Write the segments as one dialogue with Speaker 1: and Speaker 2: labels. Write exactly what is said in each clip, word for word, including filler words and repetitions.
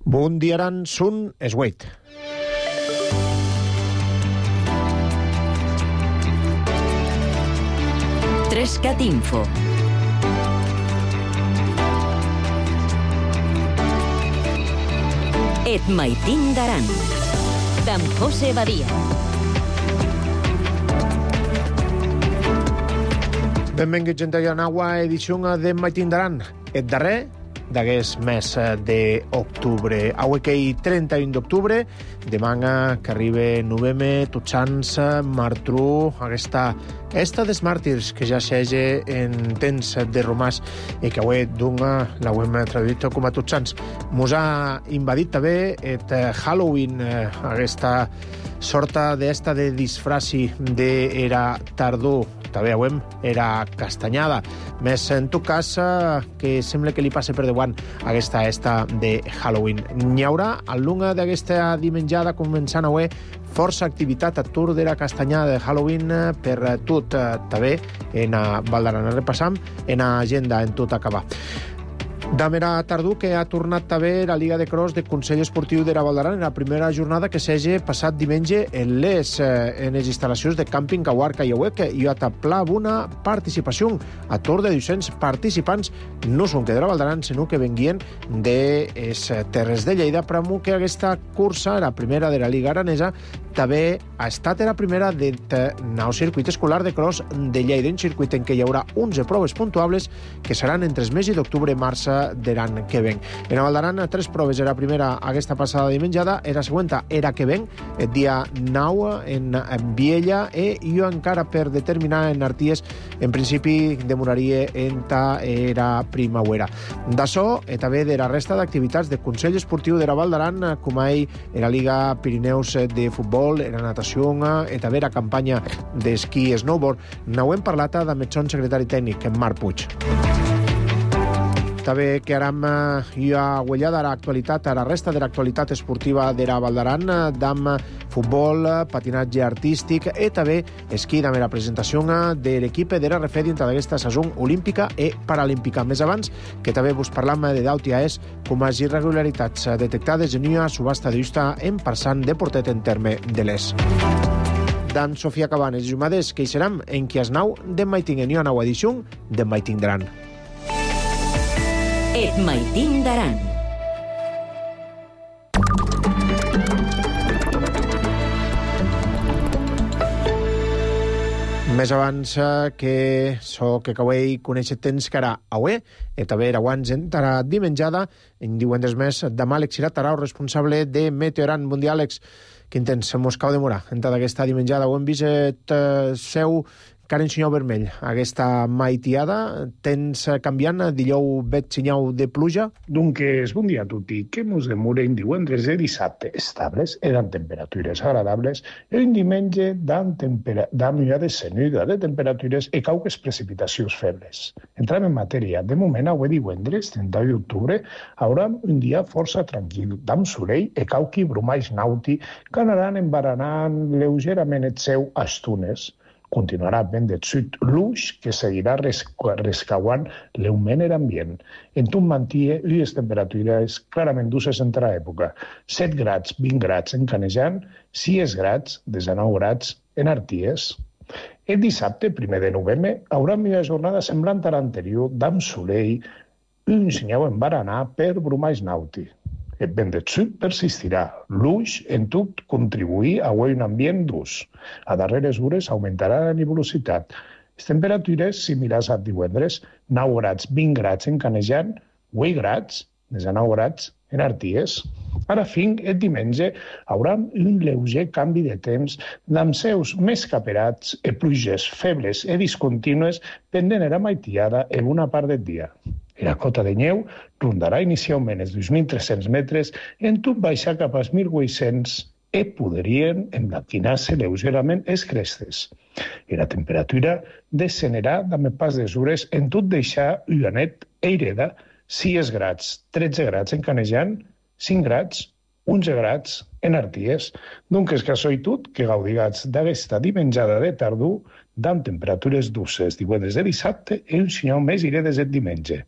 Speaker 1: Bundiaran sun esweit.
Speaker 2: Trescat Info. Et maitin daran. D'en José Badia.
Speaker 1: Benvinguts, gent de Llanaua, edició de Maitin daran. Et darrer d'aguest mes d'octubre. Avui que hi trenta-un d'octubre, demà que arriba novembre, tots sants, martru, aquesta esta des màrtirs que ja s'hege en temps de romàs i que avui dunga l'hem traduït com a tots sants. Mos ha invadit també et Halloween, aquesta sorta d'esta de disfraci d'era tardor. També avui era castanyada. Més en tot cas que sembla que li passe per davant aquesta esta de Halloween. N'hi haurà al lunga d'aquesta dimenjada començant avui força activitat a tour de la castanyada de Halloween per tot també en Val d'Aran. Repassam en agenda en tot acabar. Damera tardor que ha tornat també la Liga de Cross de Consell Esportiu de la Val d'Aran en la primera jornada que s'hagi passat diumenge en les en les instal·lacions de càmping Cahuarca i Auec i a taplar una participació a tour de dos-cents participants no són que de la Val d'Aran sinó que venguien de les terres de Lleida, però que aquesta cursa, la primera de la Liga Aranesa, també ha estat la primera del nou circuit escolar de cross de Lleida, un circuit en què hi haurà onze proves puntuables que seran entre els mesos d'octubre i març de l'any que ven. En la Val d'Aran, tres proves. Era primera aquesta passada dimenjada, era següent era que ven, el dia nou en Viella, i jo encara per determinar en Arties, en principi demoraria en ta era primavera. D'això, i també de la resta d'activitats de Consell Esportiu de la Val d'Aran, com ahir en la Liga Pirineus de futbol, en la natació, i també la campanya d'esquí i snowboard. N'hem parlat amb el son secretari tècnic, en Marc Puig. També que aram hi ha guanyada l'actualitat, a la resta de l'actualitat esportiva de la Val d'Aran, d'am futbol, patinatge artístic i també esquí, amb la presentació de l'equip de l'R F dintre d'aquesta saison olímpica i paralímpica. Més abans, que també vos parlam de d'Autiaes com a irregularitats detectades en una subhasta justa en passant de portet en terme de l'Es. D'en Sofia Cabanes i Jumades, que hi seram en qui es nau de Maiting en una nova edició de Maiting daran.
Speaker 2: Et maitin daran.
Speaker 1: Més abans que so que cauei conèixer temps que ara avui, i també era abans entrarà dimenjada, en diuen des més, demà Àlex Iratarau, responsable de Meteoran. Bon dia, Àlex. Quin temps mos cau demorar entrada aquesta dimenjada? Ho hem vist et seu encara en senyal vermell. Aquesta maitiada, tens canviant, dillau vet senyal de pluja?
Speaker 3: Doncs, bon dia a tutti. Que mos demoren divendres i dissabte estables, eren temperatures agradables, i un diumenge dan millades senuda de temperatures i cauques precipitacions febles. Entrem en matèria. De moment, avui divendres, trenta-u d'octubre, haurà un dia força tranquil, d'am solell i cauqui brumais nauti que anaran embaranant lleugerament et seu a estunes. Continuarà vent de sud luix que seguirà rescauant l'augment en ambient. En tot mantia unes temperatures clarament duces entre l'època. set grads, vint grads en Canejan, sis grads, desenou grads en Arties. El dissabte, primer de novembre, haurà una jornada semblant a l'anterior, d'am solell, un senyal en baranar per brumais nauti. El vent de sud persistirà. Luix, en tot, contribuir a un ambient durs. A darreres hores augmentarà la nebulositat. Les temperatures similars a divendres, nou grads, vint grads en Canejan, vuit grads, desenou grads en Arties. Ara fin, el diumenge, haurà un lleuger canvi de temps amb seus més caperats i pluges febles i discontínues pendent a la maitiada en una part del dia. La cota de neu rondarà inicialment els dos mil tres-cents metres, en tot baixar cap als mil vuit-cents i podrien emblanquinar-se lleugerament les crestes. I la temperatura descenderà amb el pas des hores, en tot deixar Ullanet i Ireda sis grads, tretze grads en Canejan, cinc grads, onze grads en Arties. Donc és casualitat que gaudigats d'aquesta dimenjada de tardor amb temperatures dulces divendres de dissabte i un senyal més iré des del diumenge.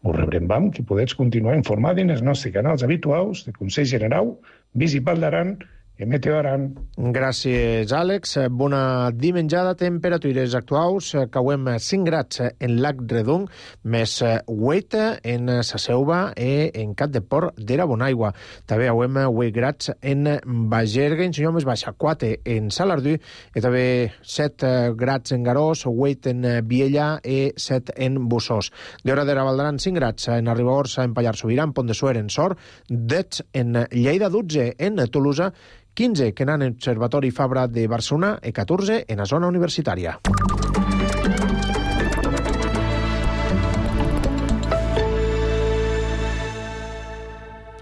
Speaker 3: Us rebrem que podeu continuar informats en els nostres canals habituals de Consell General, Municipal d'Aran i Meteo Aran.
Speaker 1: Gràcies, Àlex. Bona dimenjada. Temperatures actuals. Cauem cinc grads en Lac Redon, més vuit en Sa Selva i en Cap de Port d'Era Bonaigua. També hauem vuit grads en Bagerga, en senyor més baixa, quatre en Salardú, i també set grads en Garós, vuit en Viella i set en Bussós. D'hora d'Era Valdaran, cinc grads en Ribagorça, en Pallars Sobirà, en Pont de Suert, en Sort, dotze en Lleida, dotze en Tolosa, quinze que n'han en Observatori Fabra de Barcelona i catorze en la zona universitària.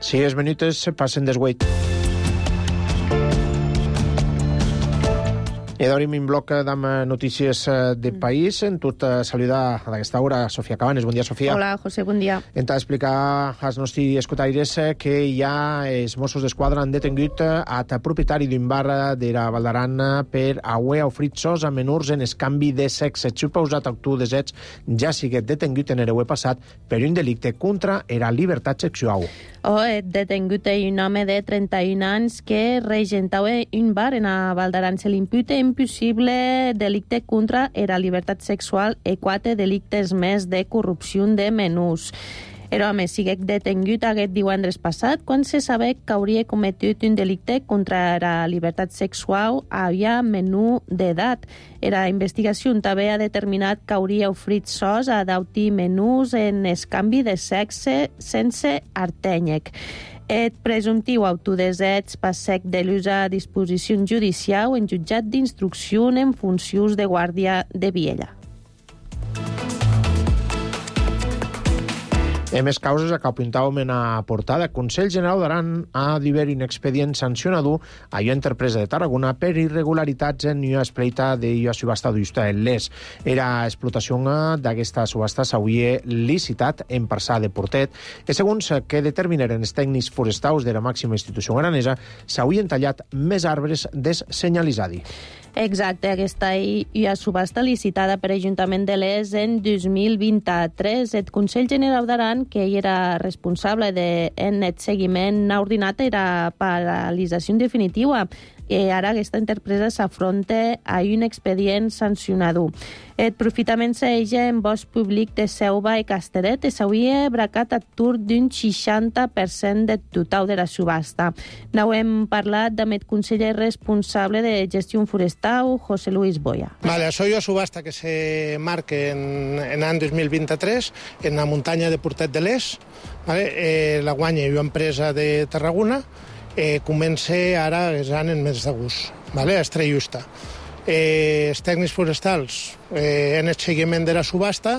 Speaker 1: Sis minuts passen des vuit. I d'obrim un bloc amb notícies de país. En tot saludar a aquesta hora Sofia Cabanes. Bon dia, Sofia.
Speaker 4: Hola, José, bon dia.
Speaker 1: Hem d'explicar als nostres escoltaires que ja els Mossos d'Esquadra han detengut el propietari d'un bar de la Valdaran per haver ofrit sos a menors en escanvi de sexe. Suposat actiu de sexe ja sigué detengut en el passat per un delicte contra la llibertat sexual.
Speaker 4: Oh, detengut un home de trenta-un anys que regentava un bar en la Valdaran. Se l'imputa un possible delicte contra la llibertat sexual i quatre delictes més de corrupció de menús. El home sigue detengut aquest divendres passat quan se sabé que hauria cometut un delicte contra la llibertat sexual a menú d'edat. La investigació també ha determinat que hauria ofrit sos a dauti menús en escanvi de sexe sense artènyec. El presumptiu autodesig passec de l'ús a disposició judicial en jutjat d'instrucció en funcions de guàrdia de Viella.
Speaker 1: En més causes, que apuntàvem en la portada, el Consell General d'Aran ha d'haver un expedient sancionador a la empresa de Tarragona per irregularitats en la espleita de la subhasta d'Usta en l'Es. Era explotació d'aquesta subhasta s'hauria licitat en Parçà de Portet i, segons que determinaren els tècnics forestals de la màxima institució aranesa, s'haurien tallat més arbres des senyalitzadi.
Speaker 4: Exacte, aquesta hi ha subhasta licitada per l'Ajuntament de l'Es en dos mil vint-i-tres. El Consell General d'Aran, que hi era responsable en el seguiment, ha ordinat la paralització definitiva. I ara aquesta empresa s'afronta a un expedient sancionador. El profitament s'eja en bosc públic de Selva i Casteret i s'hauria bracat a tur d'un seixanta per cent del total de la subhasta. N'ho hem parlat amb el conseller responsable de gestió forestal, José Luis Boya.
Speaker 5: Vale, això és una subhasta que se marca en, en l'any dos mil vint-i-tres en la muntanya de Portet de l'Es. Vale? Eh, la guanya una empresa de Tarragona. Eh, comença ara aquest any en mes d'agost, vale? Estrellusta. Eh, els tècnics forestals eh, en el seguiment de la subhasta,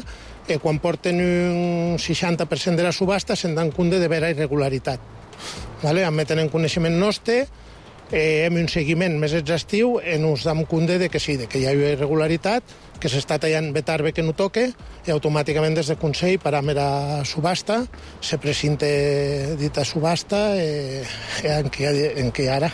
Speaker 5: eh, quan porten un seixanta per cent de la subhasta, se'n dan compte de veure irregularitat. Vale? En meten en coneixement nostre, eh, hem un seguiment més exhaustiu i ens dam compte de que sí, de que hi ha irregularitat, que s'està tallant betarbe que no toque, i automàticament des del Consell param la subhasta, se presinte dita subhasta eh, en, què, en què ara.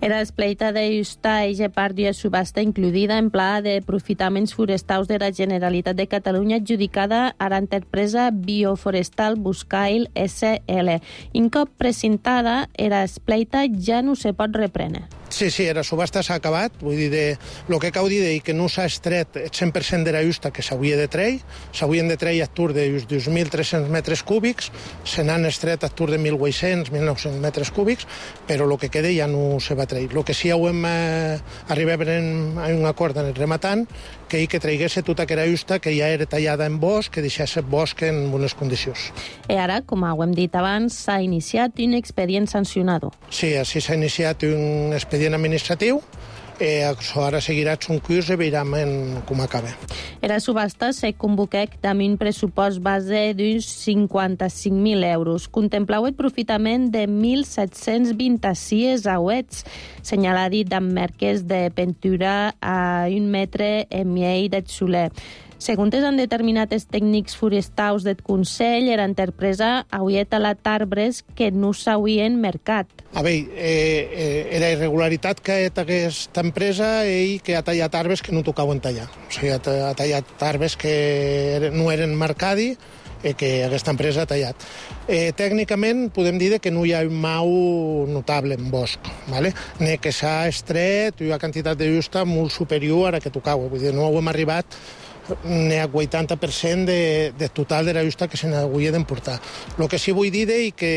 Speaker 4: Era espleita de justa eixa part d'una subhasta incluïda en pla de profitaments forestals de la Generalitat de Catalunya adjudicada a l'empresa Bioforestal Buscail S L. Un cop presentada, era espleita ja no se pot reprendre.
Speaker 5: Sí, sí, la subhasta s'ha acabat. Vull dir, de, el que cau dir és que no s'ha estret el cent per cent de la justa que s'hauria de treure. S'haurien de treure a tur de dos mil tres-cents metres cúbics, se n'han estret a tur de mil vuit-cents a mil nou-cents metres cúbics, però el que queda ja no se va treure. El que sí hem eh, arribat a un acord en el rematant, que hi que traigués tota aquella justa que ja era tallada en bosc, que deixés el bosc en bones condicions.
Speaker 4: I ara, com ho hem dit abans, s'ha iniciat un expedient sancionador.
Speaker 5: Sí, així s'ha iniciat un expedient administratiu. Eh, ara seguirà un curs i veurem com acaba.
Speaker 4: La subhasta se convoca amb un pressupost base d'uns cinquanta-cinc mil euros. Contemplau el profitament de mil set-cents vint-i-sis auets, senyaladi amb merques de pintura a un metre en miei de Soler. Segons han determinat els tècnics forestals del Consell, era empresa hauria talat arbres que no s'haurien mercat.
Speaker 5: A veure, eh, eh, era irregularitat que aquesta empresa ell que ha tallat arbres que no tocaven tallar. O sigui, ha, ha tallat arbres que no eren mercadi i que aquesta empresa ha tallat. Eh, tècnicament podem dir que no hi ha un mau notable en bosc, ¿vale? Ni que s'ha estret una quantitat de justa molt superior a la que tocava. Vull dir, no hem arribat ni a vuitanta per cent de, de total de la justa que se n'hauria d'emportar. El que sí vull dir és que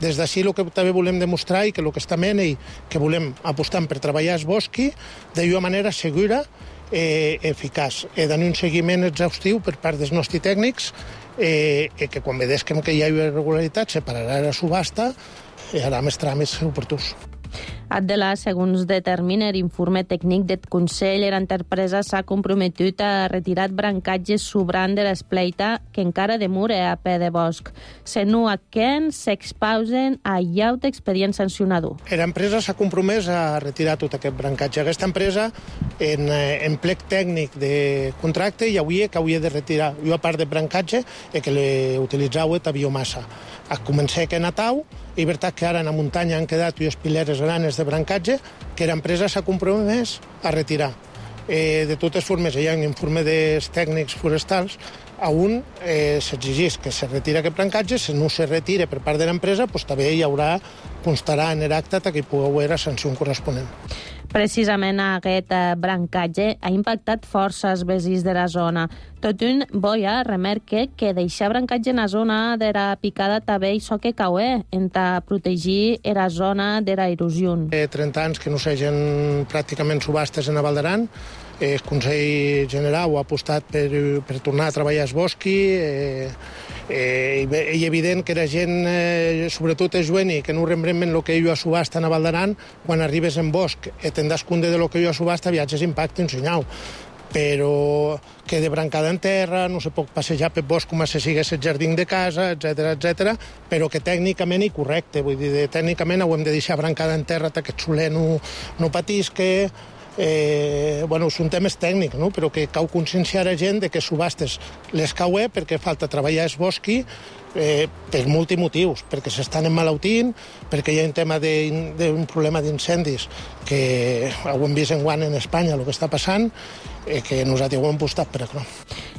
Speaker 5: des d'ací el que també volem demostrar i que el que està ment i que volem apostar per treballar el bosc d'una manera segura i eh, eficaç. He d'anar un seguiment exhaustiu per part dels nostres tècnics eh, eh, que quan vedesquem que hi ha irregularitat separarà la subhasta i harà més tràmits oportuns.
Speaker 4: Adela, segons determina l'informe tècnic del Consell, l'empresa s'ha comprometut a retirar brancatges sobrant de l'espleita que encara demora a peu de bosc. Se no aquen, s'expausen a llaut expedient sancionador.
Speaker 5: L'empresa s'ha compromès a retirar tot aquest brancatge. Aquesta empresa, en, en plec tècnic de contracte, hi hauria que hauria de retirar una part de brancatge i que l'utilitzava a biomassa. A començar que Natau, i veritat que ara a la muntanya han quedat unes pileres grans de brancatge que l'empresa s'ha compromès a retirar. Eh, de totes formes, hi ha un informe dels tècnics forestals on eh, s'exigeix que se retira aquest brancatge. Si no se retira per part de l'empresa, doncs també hi haurà, constarà en l'acte que hi pugui haver la sanció corresponent.
Speaker 4: Precisament aquest brancatge ha impactat força els veïns de la zona. Tot un boia remarca que deixar brancatge en la zona de la picada també hi so que caué en protegir la zona de la erosió.
Speaker 5: Eh, trenta anys que no s'hagin pràcticament subhastes en la Val d'Aran. El Consell General ha apostat per, per tornar a treballar el bosc. Eh, eh, és evident que la gent, eh, sobretot el jovent, que no rembrem el que hi ha a subhasta en la Val d'Aran, quan arribes en bosc i te'n das compte de lo que hi ha a subhasta, viatges impacte un senyal. Però que de brancada en terra, no se pot passejar per bosc com si sigués el jardí de casa, etcètera, etcètera, però que tècnicament és correcte. Vull dir, tècnicament ho hem de deixar brancada en terra perquè el soler no, no patisca. Eh, bueno, són temes tècnics, no? Però que cal conscienciar a gent de que subhastes les caué perquè falta treballar el bosc eh, per multimotius, perquè s'estan emmalaltint, perquè hi ha un tema d'un problema d'incendis que ho hem vist enguany en Espanya, el que està passant, eh, que nosaltres ho hem apostat per això.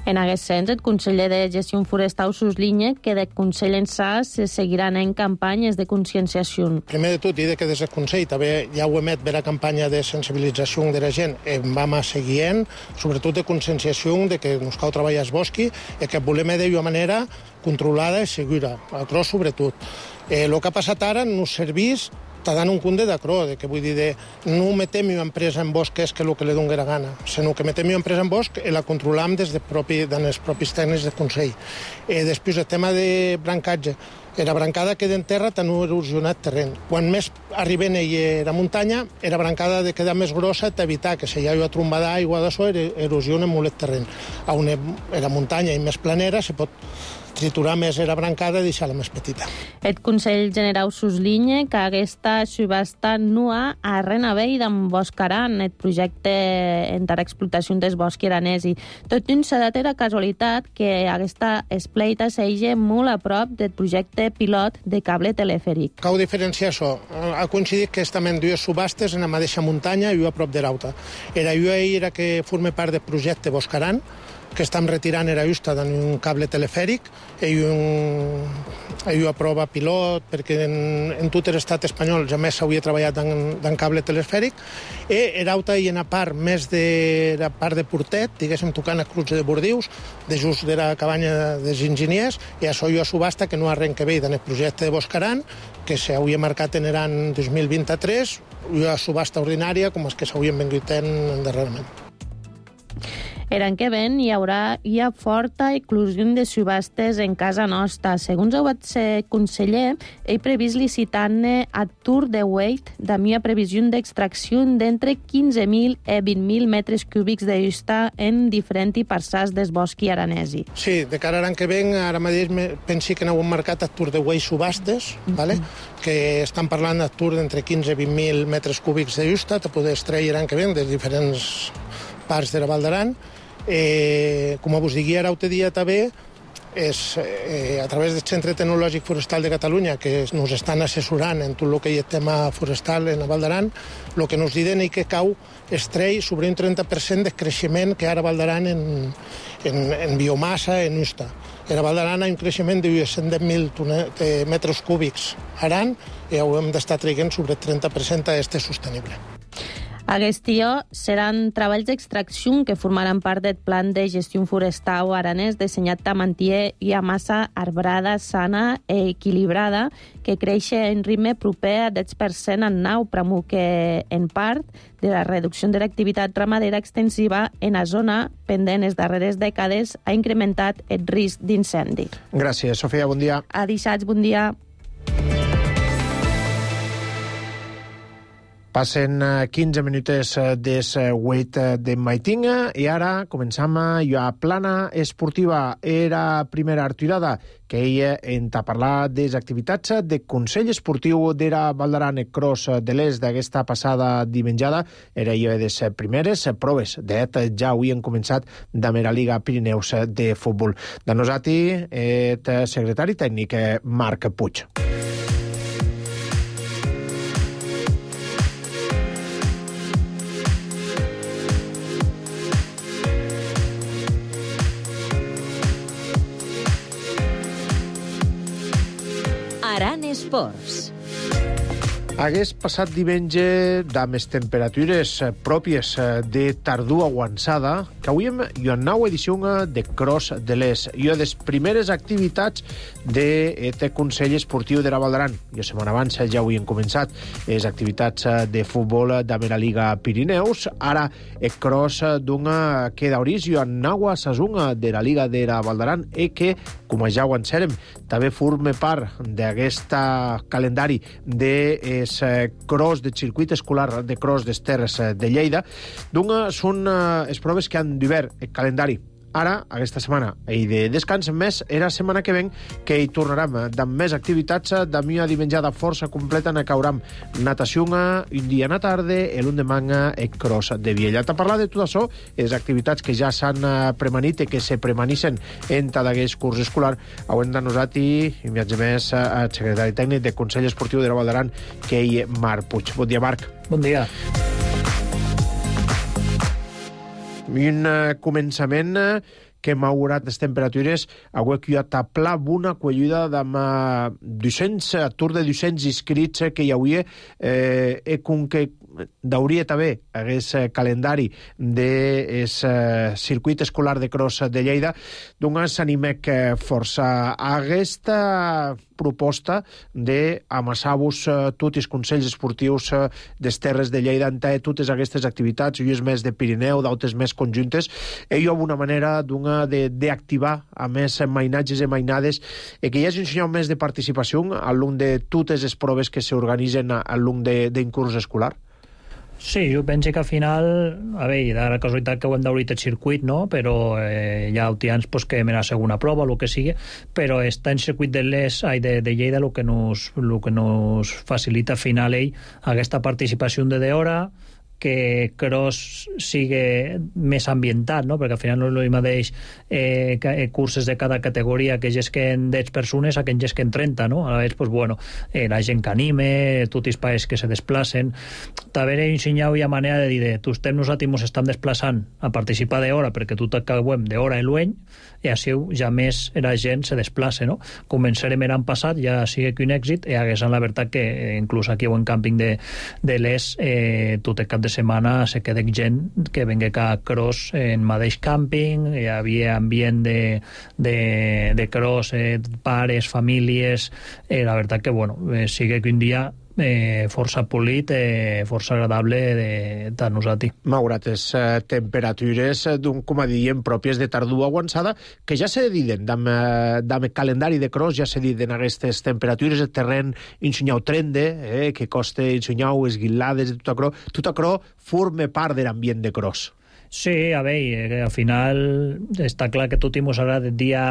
Speaker 4: En aquest sens, el conseller de Gestió Forestal sublinya que del Consell ençà se seguiran en campanyes de conscienciació.
Speaker 5: Primer de tot, dir que des del Consell també ja ho emet per la campanya de sensibilització de la gent, en vam a seguir en, sobretot de conscienciació de que ens cal treballar el bosc i que volem d'una manera controlada i segura, a cros sobretot. Eh, el que ha passat ara no servís està dant un punt de d'acrò, de que vull dir, de no metem una empresa en bosc que és que el que li doni la gana, sinó que metem una empresa en bosc i la controlam des de propi, dels propis tècnics del Consell. Eh, després, el tema de brancatge. La brancada queda en terra, tan erosionat terreny. Quan més arriben a la muntanya, la brancada de quedar més grossa t'evitar que si hi ha una tromba d'aigua de so, erosiona molt el terreny. On la muntanya i més planera se pot triturar més la brancada i deixar-la més petita.
Speaker 4: El Consell General sublinya que aquesta subhasta no ha a renovell d'emboscaran el projecte entre l'explotació del bosc iranesi. Tot un s'ha de la casualitat que aquesta espleita s'eix molt a prop del projecte pilot de cable telefèric.
Speaker 5: Cal diferenciar això. Ha coincidit que estem dues subhastes en la mateixa muntanya i una a prop de l'altra. Era una era que forma part del projecte Boscaran, que estem retirant era justa d'un cable telefèric i un, una prova pilot, perquè en, en tot l'estat espanyol ja més s'hauria treballat en cable telefèric, i era alta i en la part més de la part de Portet, diguéssim, tocant a Cruz de Bordius, de just de la cabanya dels enginyers, i això hi ha subhasta que no arrenca bé en el projecte de Boscaran, que s'hauria marcat en l'any dos mil vint-i-tres, hi ha subhasta ordinària com els que s'haurien vengut en darrerament.
Speaker 4: L'any que ven hi haurà hi ha forta inclusió de subhastes en casa nostra. Segons el conseller, he previst licitar-ne a Tour de Wait amb una previsió d'extracció d'entre quinze mil i vint mil metres cúbics de justa en diferents parçals del bosc aranesi.
Speaker 5: Sí, de cara a l'any que ven, ara mateix pensi que n'heu marcat a Tour de Wait subhastes, mm-hmm. vale? Que estan parlant a Tour d'entre quinze i vint mil metres cúbics de justa, te poder extraure l'any que ven de diferents parts de la Val d'Aran, eh, com vos digui ara altre dia també, és, eh, a través del Centre Tecnològic Forestal de Catalunya, que ens estan assessorant en tot el que hi ha tema forestal en la Val d'Aran, el que ens diuen és que cau estrell sobre un trenta per cent de creixement que ara Val d'Aran en, en, en biomassa, en usta. En la Val d'Aran hi ha un creixement de cent deu mil metres cúbics aran i hem d'estar traient sobre el trenta per cent a este sostenible.
Speaker 4: Aquest dia seran treballs d'extracció que formaran part del plan de gestió forestal aranès dissenyat a mantier i a massa arbrada, sana i equilibrada, que creix en ritme proper a deu per cent en nau, pramo que en part de la reducció de l'activitat ramadera extensiva en la zona pendent les darreres dècades ha incrementat el risc d'incendi.
Speaker 1: Gràcies, Sofia, bon dia.
Speaker 4: A dissabte, bon dia.
Speaker 1: Passen quinze minutes des vuit de maitinga i ara començam a plana esportiva. Era primera arturada que ella enta parlar de les activitats de Consell Esportiu d'era Val d'Aran Cross de l'Est d'aquesta passada dimenjada. Era jo de les primeres proves. De fet, ja avui han començat de la Liga Pirineus de futbol. De nosaltres, el secretari tècnic Marc Puig.
Speaker 2: Aran Esports.
Speaker 1: Hagués passat diumenge amb les temperatures pròpies de tardor avançada que avui hem una nova edició de Cross de l'Est i una de les primeres activitats del Consell Esportiu de la Val d'Aran. I la setmana abans ja avui hem començat les activitats de futbol de la Liga Pirineus. Ara el Cross d'una que d'orís i una nova saison de la Liga de la Val d'Aran i que, com ja ho encerem, també forma part d'aquest calendari de és cross de circuit escolar de cross des Terres de Lleida. Doncs són les proves que han d'hivern el calendari. Ara, aquesta setmana, i de descans més, era la setmana que ven que hi tornarem amb més activitats, d'avui a dimenjada força completa, ne cauram natació un dia a la tarda, i l'endemà el cross de Viella. A parlar de tot això, les activitats que ja s'han premanit i que se premanissen en tot aquest curs escolar, haurem de nosaltres, i viatge més, el secretari tècnic del Consell Esportiu de la Val d'Aran, que és Marc Puig. Bon dia, Marc.
Speaker 6: Bon dia.
Speaker 1: Un uh, començament uh, que m'ha augurat les temperatures avui que hi ha taplat una quellida d'amb dos-cents, atur de dos-cents inscrits que hi hauria eh, i com que d'hauria també aquest calendari del eh, circuit escolar de cross de Lleida, doncs s'animec força a aquesta proposta d'amassar-vos eh, tots els consells esportius eh, des Terres de Lleida en totes aquestes activitats, unes més de Pirineu, d'altres més conjuntes. I jo una manera d'activar a més mainatges i mainades i que hi hagi un senyal més de participació al long de totes les proves que s'organitzen al long d'un curs escolar.
Speaker 6: Sí, jo penso que al final, a veure, de la casualitat que ho hem d'obrir el circuit, no? Però eh, hi ha utians pues, que me la segona prova, el que sigui, però està en circuit de l'Est, ai, de, de Lleida, el que nos, lo que nos facilita al final ell aquesta participació de d'hora, que cross sigui més ambientat, no? Perquè al final no és el mateix eh, curses de cada categoria que gesquen deu persones a que en gesquen trenta, no? A vegades, pues, bueno, eh, la gent que anime, tots els països que se desplacen. També he ensenyat ja manera de dir, de, tu estem nosaltres ens estem desplaçant a participar d'hora perquè tot acabem d'hora i l'any i així ja més la gent se desplaça, no? Començarem l'any passat, ja sigui que un èxit, i hagués la veritat que eh, inclús aquí en càmping de, de l'Est eh, tot el cap de setmana se queda gent que venga a cross en mateix càmping, hi havia ambient de, de, de cross, eh, pares, famílies, eh, la veritat que, bueno, eh, sigue que un dia eh, força polit, eh, força agradable de, de nosaltres.
Speaker 1: Malgrat les eh, temperatures d'un, com a diem, pròpies de tardor avançada, que ja se diden, amb el calendari de cross ja se diden aquestes temperatures, el terreny ensenyau trende, eh, que costa ensenyau esguilades, tot acrò, tot acrò forma part de l'ambient de cross.
Speaker 6: Sí, a veure, al final està clar que tot i mos agrada el dia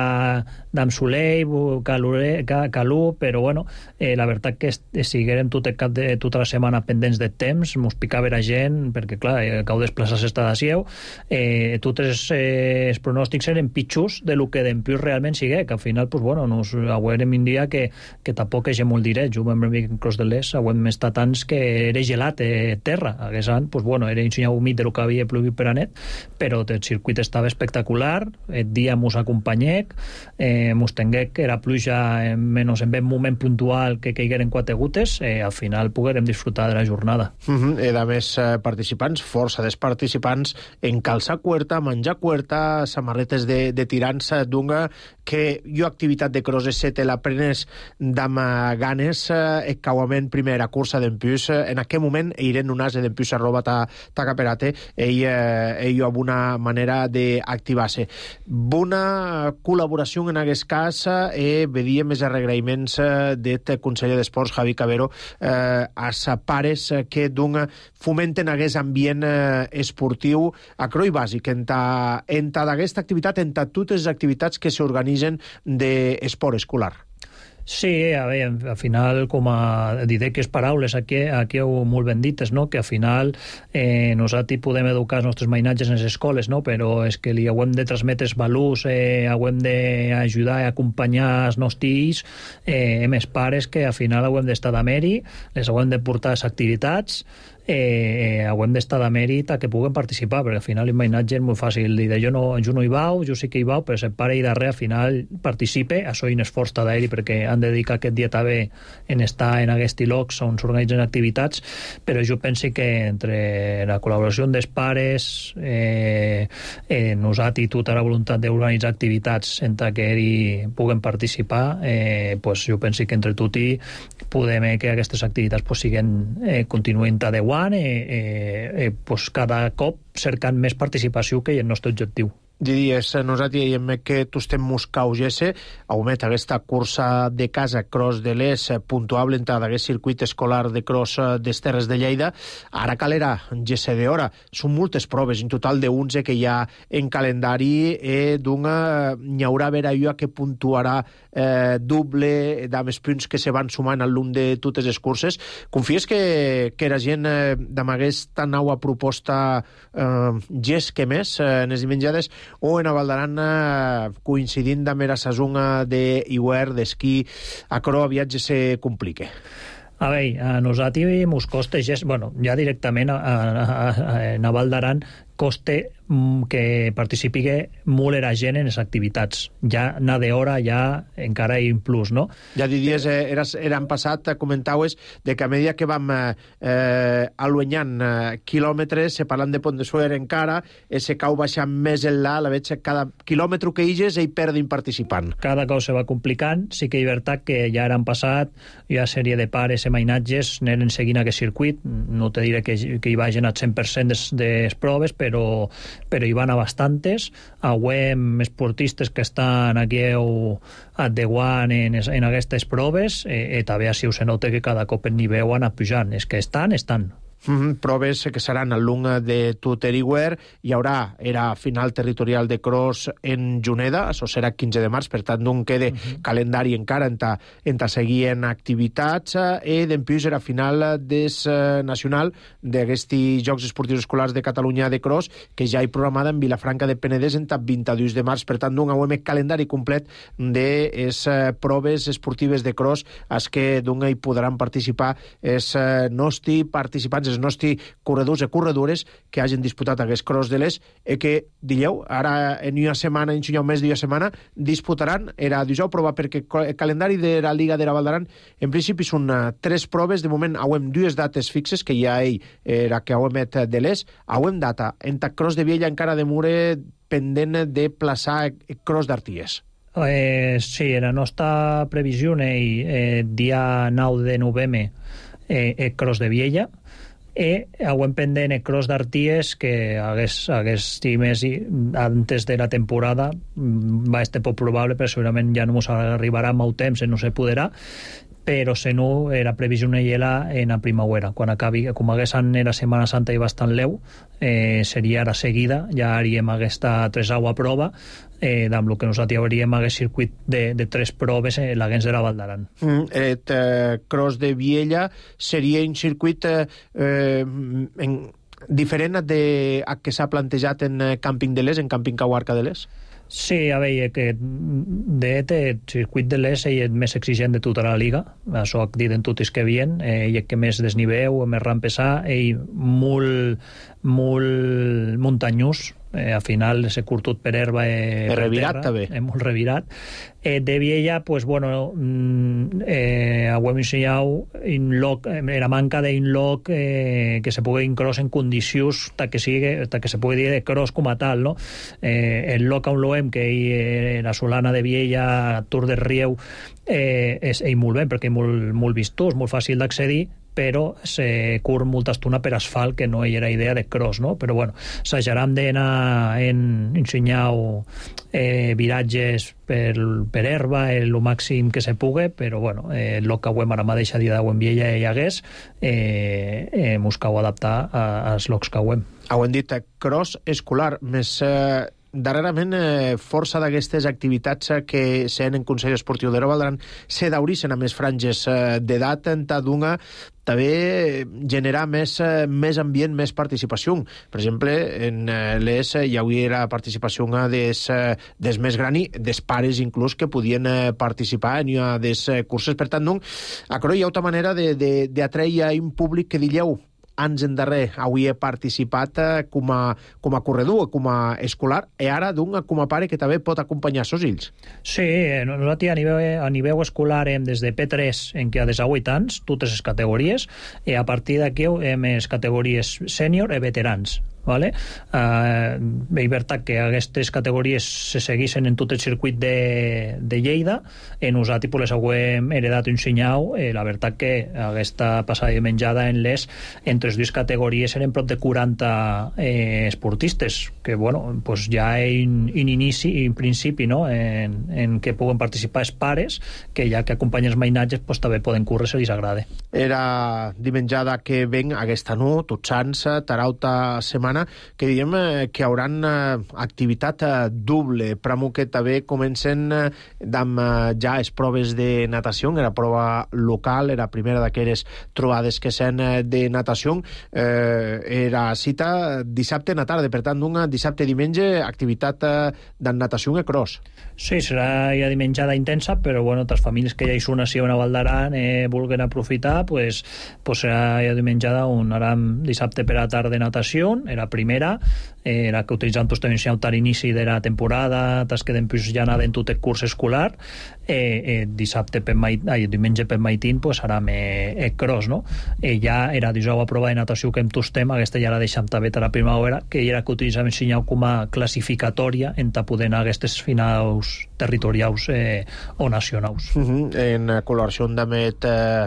Speaker 6: d'am solei, calú, però bueno, eh, la veritat que siguérem tot el cap de tota la setmana pendents de temps, mos picava la gent, perquè clar, eh, cau desplaçar-se està de sieu, eh, tots els, eh, els pronòstics eren pitjors de lo que d'empius realment sigue, que al final, pues bueno, nos aguarem un dia que, que tampoc és molt direct. Jo vam veure en Cros de l'Est, aguem estar tants que era gelat, eh, terra, hagués an, pues bueno, era un senyal humit de lo que havia plovit per a net, però el circuit estava espectacular, el dia mos acompanyec, eh, mos tenguec que era pluja en menys en ben moment puntual que caigueren quatre gutes, eh, al final poguérem disfrutar de la jornada.
Speaker 1: Uh-huh. Era més eh, participants, força dels participants en calçar cuerta, menjar cuerta, samarretes de, de tirants d'unga, que jo activitat de cross se te la prenes d'am ganes, eh, cauament primera cursa d'empius, eh, en aquest moment eiren un ase d'empius arroba ta, ta caperate, ell, eh, ell amb una manera d'activar-se. Bona col·laboració en aquest cas, eh, vedíem més agraïments del conseller d'Esports, Javi Cabero, eh, als pares que d'un fomenten aquest ambient eh, esportiu a croi bàsic, en ta, en ta d'aquesta activitat, en ta totes les activitats que s'organitzen d'esport escolar.
Speaker 6: Sí, a veure, al final, com a didaques paraules aquí, aquí heu molt ben dites, no? Que al final eh, nosaltres podem educar els nostres mainatges en les escoles, no? Però és que li hauem de transmetre els valors, eh, hauem d'ajudar i acompanyar els nostres eh, més pares, que al final hauem d'estar de mèri, les hauem de portar les activitats, eh, hauem d'estar de mèrit a que puguen participar, perquè al final l'imatge és molt fàcil dir, jo no, jo no hi vau, jo sí que hi vau, però si el pare i darrere al final participe, això hi un esforç d'aeri perquè han de dedicar aquest dia també en estar en aquests llocs on s'organitzen activitats, però jo penso que entre la col·laboració dels pares, eh, eh, nosaltres i tota la voluntat d'organitzar activitats en que hi puguen participar, eh, pues jo penso que entre tot i podem eh, que aquestes activitats pues, siguen, eh, continuïn adequant, Eh, eh, eh, pues cada cop cercant més participació que és el nostre objectiu.
Speaker 1: Diries, nosaltres diem que tu estem muscaugesse, augment aquesta cursa de casa cross de l'Es puntuable en aquest circuit escolar de cross des Terres de Lleida. Ara calera, gesse d'hora. Són moltes proves, en total de onze que hi ha en calendari, eh, d'una n'hi haurà vera jo que puntuarà eh, doble d'amés punts que se van sumant al lung de totes les curses. Confies que, que la gent eh, d'amb aquesta nova proposta eh, gest que més eh, en les dimenjades o en a Valdaran eh, coincidint amb la sazonga d'hivern, d'esquí, a cro viatge se complique.
Speaker 6: A veure, a nosaltres mos costa, bueno, ja directament a, a, a, a Val d'Aran costa que participi molt la gent en les activitats. Ja n'ha d'hora, ja encara hi ha un plus, no?
Speaker 1: Ja diries, eh, eras, eran passat, comentaves, de que a mesura que vam eh, aluenyant eh, quilòmetres, se parlant de Pont de Suert encara, eh, se cau baixant més enllà, la veig cada quilòmetre que higes ell perdin participant.
Speaker 6: Cada cosa se va complicant, sí que és veritat que ja han passat, hi ha sèrie de pares i mainatges, aneren seguint aquest circuit, no te diré que, que hi vagin al cent per cent de les proves, però però hi van a bastantes. Auem esportistes que estan aquí adeguant en, en aquestes proves, eh, i també així se nota que cada cop el nivell ha anat pujant. És que estan, estan.
Speaker 1: Mm-hmm. Proves que seran al lung de tot Eriware. Hi haurà era final territorial de cross en Juneda, això serà quinze de març, per tant no quede mm-hmm. calendari encara en ta, en ta seguir en activitats, i d'empius era final des eh, nacional d'aquests Jocs Esportius Escolars de Catalunya de cross, que ja hi programada en Vilafranca de Penedès en ta vint-i-dos de març, per tant d'un hauem calendari complet de les eh, proves esportives de cross als que d'un hi podran participar els eh, nostres participants, els nostres corredors i corredores que hagin disputat aquest cross de l'Es, i que, dilleu, ara en una setmana, en un mes d'una setmana, disputaran, era dijous prova, perquè el calendari de la Liga de la Val d'Aran, en principi són uh, tres proves, de moment hauem dues dates fixes, que ja ell era que hauem et de l'Es, hauem data, en ta cross de Viella encara de Mure pendent de plaçar el cross d'Arties.
Speaker 6: Eh, sí, la nostra previsió és eh, dia nou de novembre eh, el cross de Viella, i hauem pendent el cross d'Arties, que hagués, hagués més antes de la temporada va estar poc probable, però segurament ja no ens arribarà molt temps, no se podrà, però se no era previsió una hiela en la primavera. Quan acabi, com haguessin era Setmana Santa i bastant leu, eh, seria ara seguida, ja haríem aquesta tresaua prova, eh, amb el que nosaltres hauríem aquest circuit de, de tres proves en l'Aguens de la Val d'Aran.
Speaker 1: Mm, et eh, Cross de Viella seria un circuit eh, en, diferent de, a que s'ha plantejat en Càmping de l'Es, en Càmping Cauarca de l'Es?
Speaker 6: Sí, a veure, que de fet el circuit de l'Es és el més exigent de tota la Liga, això ho dit en tots que havien, eh, i el que més desniveu, més rampes ha, i molt, molt muntanyós, eh, al final s'ha curtut per herba eh,
Speaker 1: per revirat també,
Speaker 6: eh, molt revirat. Eh, de Viella, pues bueno, eh, hem ensenyat in loc, eh, la manca d'un loc eh, que se pugui cross en condicions ta que, sigui, ta que se pugui dir de cross com a tal, no? Eh, el loc on l'hem, que eh, la Solana de Viella, Tour de Rieu, eh, és, és molt bé, perquè és molt, molt vistós, molt fàcil d'accedir, però se curt molta estona per asfalt, que no hi era idea de cross, no? Però bueno, s'ajaram d'anar en ensenyar eh, viratges per, per herba, el màxim que se pugui, però bueno, eh, el que hem ara mateix a dia d'Agüen Viella hi hagués, eh, eh, mos cal adaptar als locs que hem.
Speaker 1: Ho hem dit, cross escolar, més... Eh... Darrerament, eh, força d'aquestes activitats eh, que s'han en Consell Esportiu de Val d'Aran se dauricen a més franges eh, d'edat, en d'una també generar més, eh, més ambient, més participació. Per exemple, en eh, l'Es hi hauria la participació des, eh, des més grani, des pares inclús que podien eh, participar en eh, des eh, curses. Per tant, doncs, acro hi ha altra manera d'atreure un públic que dilleu anys endarrer avui he participat eh, com, a, com a corredor, com a escolar, i ara d'un com a pare que també pot acompanyar els seus fills.
Speaker 6: Sí, nosaltres a nivell, a nivell escolar hem des de P tres, en què ha des de vuit anys, totes les categories, i a partir d'aquí hem les categories sènior i veterans. Vale? Uh, és veritat que aquestes categories se seguissin en tot el circuit de, de Lleida, i nosaltres pues, les hem heredat un senyau, eh, la veritat que aquesta passada de menjada en les entre les dues categories eren prop de quaranta eh, esportistes, que bueno, pues ja en, en inici i en principi, no? en, en què puguen participar els pares, que ja que acompanyen els mainatges pues, també poden córrer si els agrada.
Speaker 1: Era dimenjada que ven aquesta no, tots sants, tarauta setmana, que diem eh, que hauran eh, activitat eh, doble. Pramo que també comencen eh, amb eh, ja les proves de natació, era prova local, era primera d'aquelles trobades que s'han eh, de natació. Eh, era cita dissabte a la tarda, per tant, un dissabte i diumenge activitat eh, de natació i cross.
Speaker 6: Sí, serà ja dimenjada intensa, però bueno, les famílies que ja hi són així a Val d'Aran eh, vulguen aprofitar, pues, pues serà ja dimenjada un aram dissabte per a tarda de natació, era primera, eh, era que utilitzant tot també a l'inici de la temporada, tas que després ja anaven tot el curs escolar, eh, eh, dissabte per mait, ai, diumenge per maitín, pues serà eh, el cross, no? Eh, ja era dijous a prova de natació que em tostem, aquesta ja la deixam també a la primavera, que era que utilitzàvem ensenyar com a classificatòria en ta poder anar a aquestes finals territorials eh, o nacionals.
Speaker 1: Uh -huh. En col·laboració amb eh,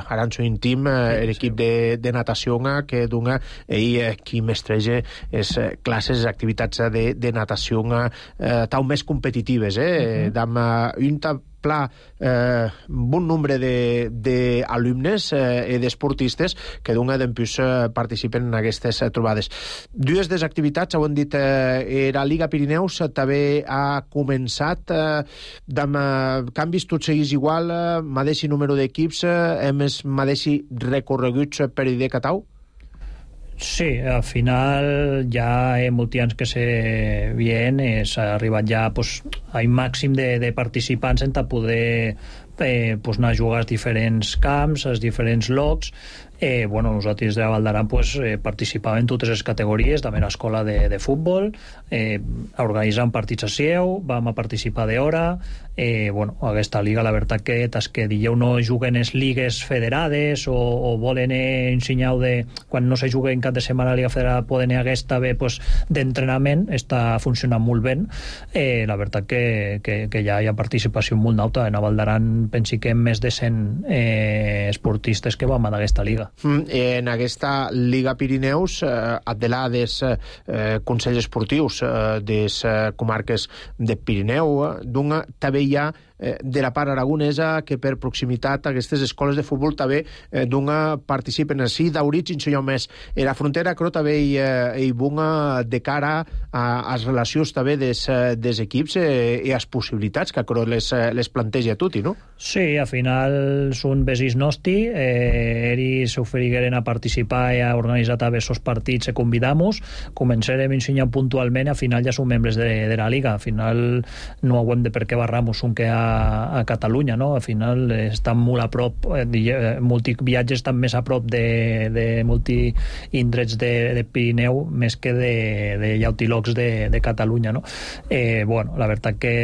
Speaker 1: Aranxo Intim, eh, l'equip de, de natació que dona ell eh, qui mestreja és eh, classes, activitats de, de natació eh, tau més competitives, eh? Uh -huh. Amb eh, un pla, eh, bon nombre d'alumnes eh, i d'esportistes que d'un d'empús eh, participen en aquestes eh, trobades. Dues des activitats, ho hem dit, eh, era Liga Pirineus, eh, també ha començat eh, amb eh, canvis tots seguís igual, eh, mateixi número d'equips, eh, més mateixi recorreguts per I D Catau?
Speaker 6: Sí, al final ja hi ha molts anys que se vien, s'ha arribat ja pues, a un màxim de, de participants en poder eh, pues, anar a jugar als diferents camps, als diferents locs. Eh, bueno, nosaltres de Val d'Aran pues, eh, participàvem en totes les categories, també a l'escola de, de futbol, eh, organitzàvem partits a Sieu, vam a participar d'hora, eh, bueno, aquesta liga, la veritat que tas que dieu no juguen les ligues federades o, o volen eh, ensenyar de, quan no se juga en cap de setmana a la liga federada poden eh, aquesta bé pues, d'entrenament, està funcionant molt bé, eh, la veritat que, que, que ja hi ha participació molt alta, en Val d'Aran pensi que més de cent eh, esportistes que vam a aquesta liga.
Speaker 1: En aquesta Liga Pirineus, eh, adela des eh, consells esportius eh, des eh, comarques de Pirineu, eh, d'un també hi ha eh, de la part aragonesa que per proximitat aquestes escoles de futbol també eh, d'una participen així d'origen jo més. E la frontera creo també hi, eh, hi bunga de cara a, a les relacions també des, des equips eh, i les possibilitats que creo les, les planteja a tutti, no?
Speaker 6: Sí, al final són vesis nostri, eh, eri s'oferigueren a participar i a organitzar també esos partits e convidamos, començarem a ensenyar puntualment, al final ja som membres de, de la Liga, al final no ho hem de per què barramos un que a, a Catalunya, no? Al final estan molt a prop, eh, multiviatges estan més a prop de, de multi-indrets de, de Pirineu més que de, de llautilòcs de, de Catalunya, no? Eh, bueno, la veritat que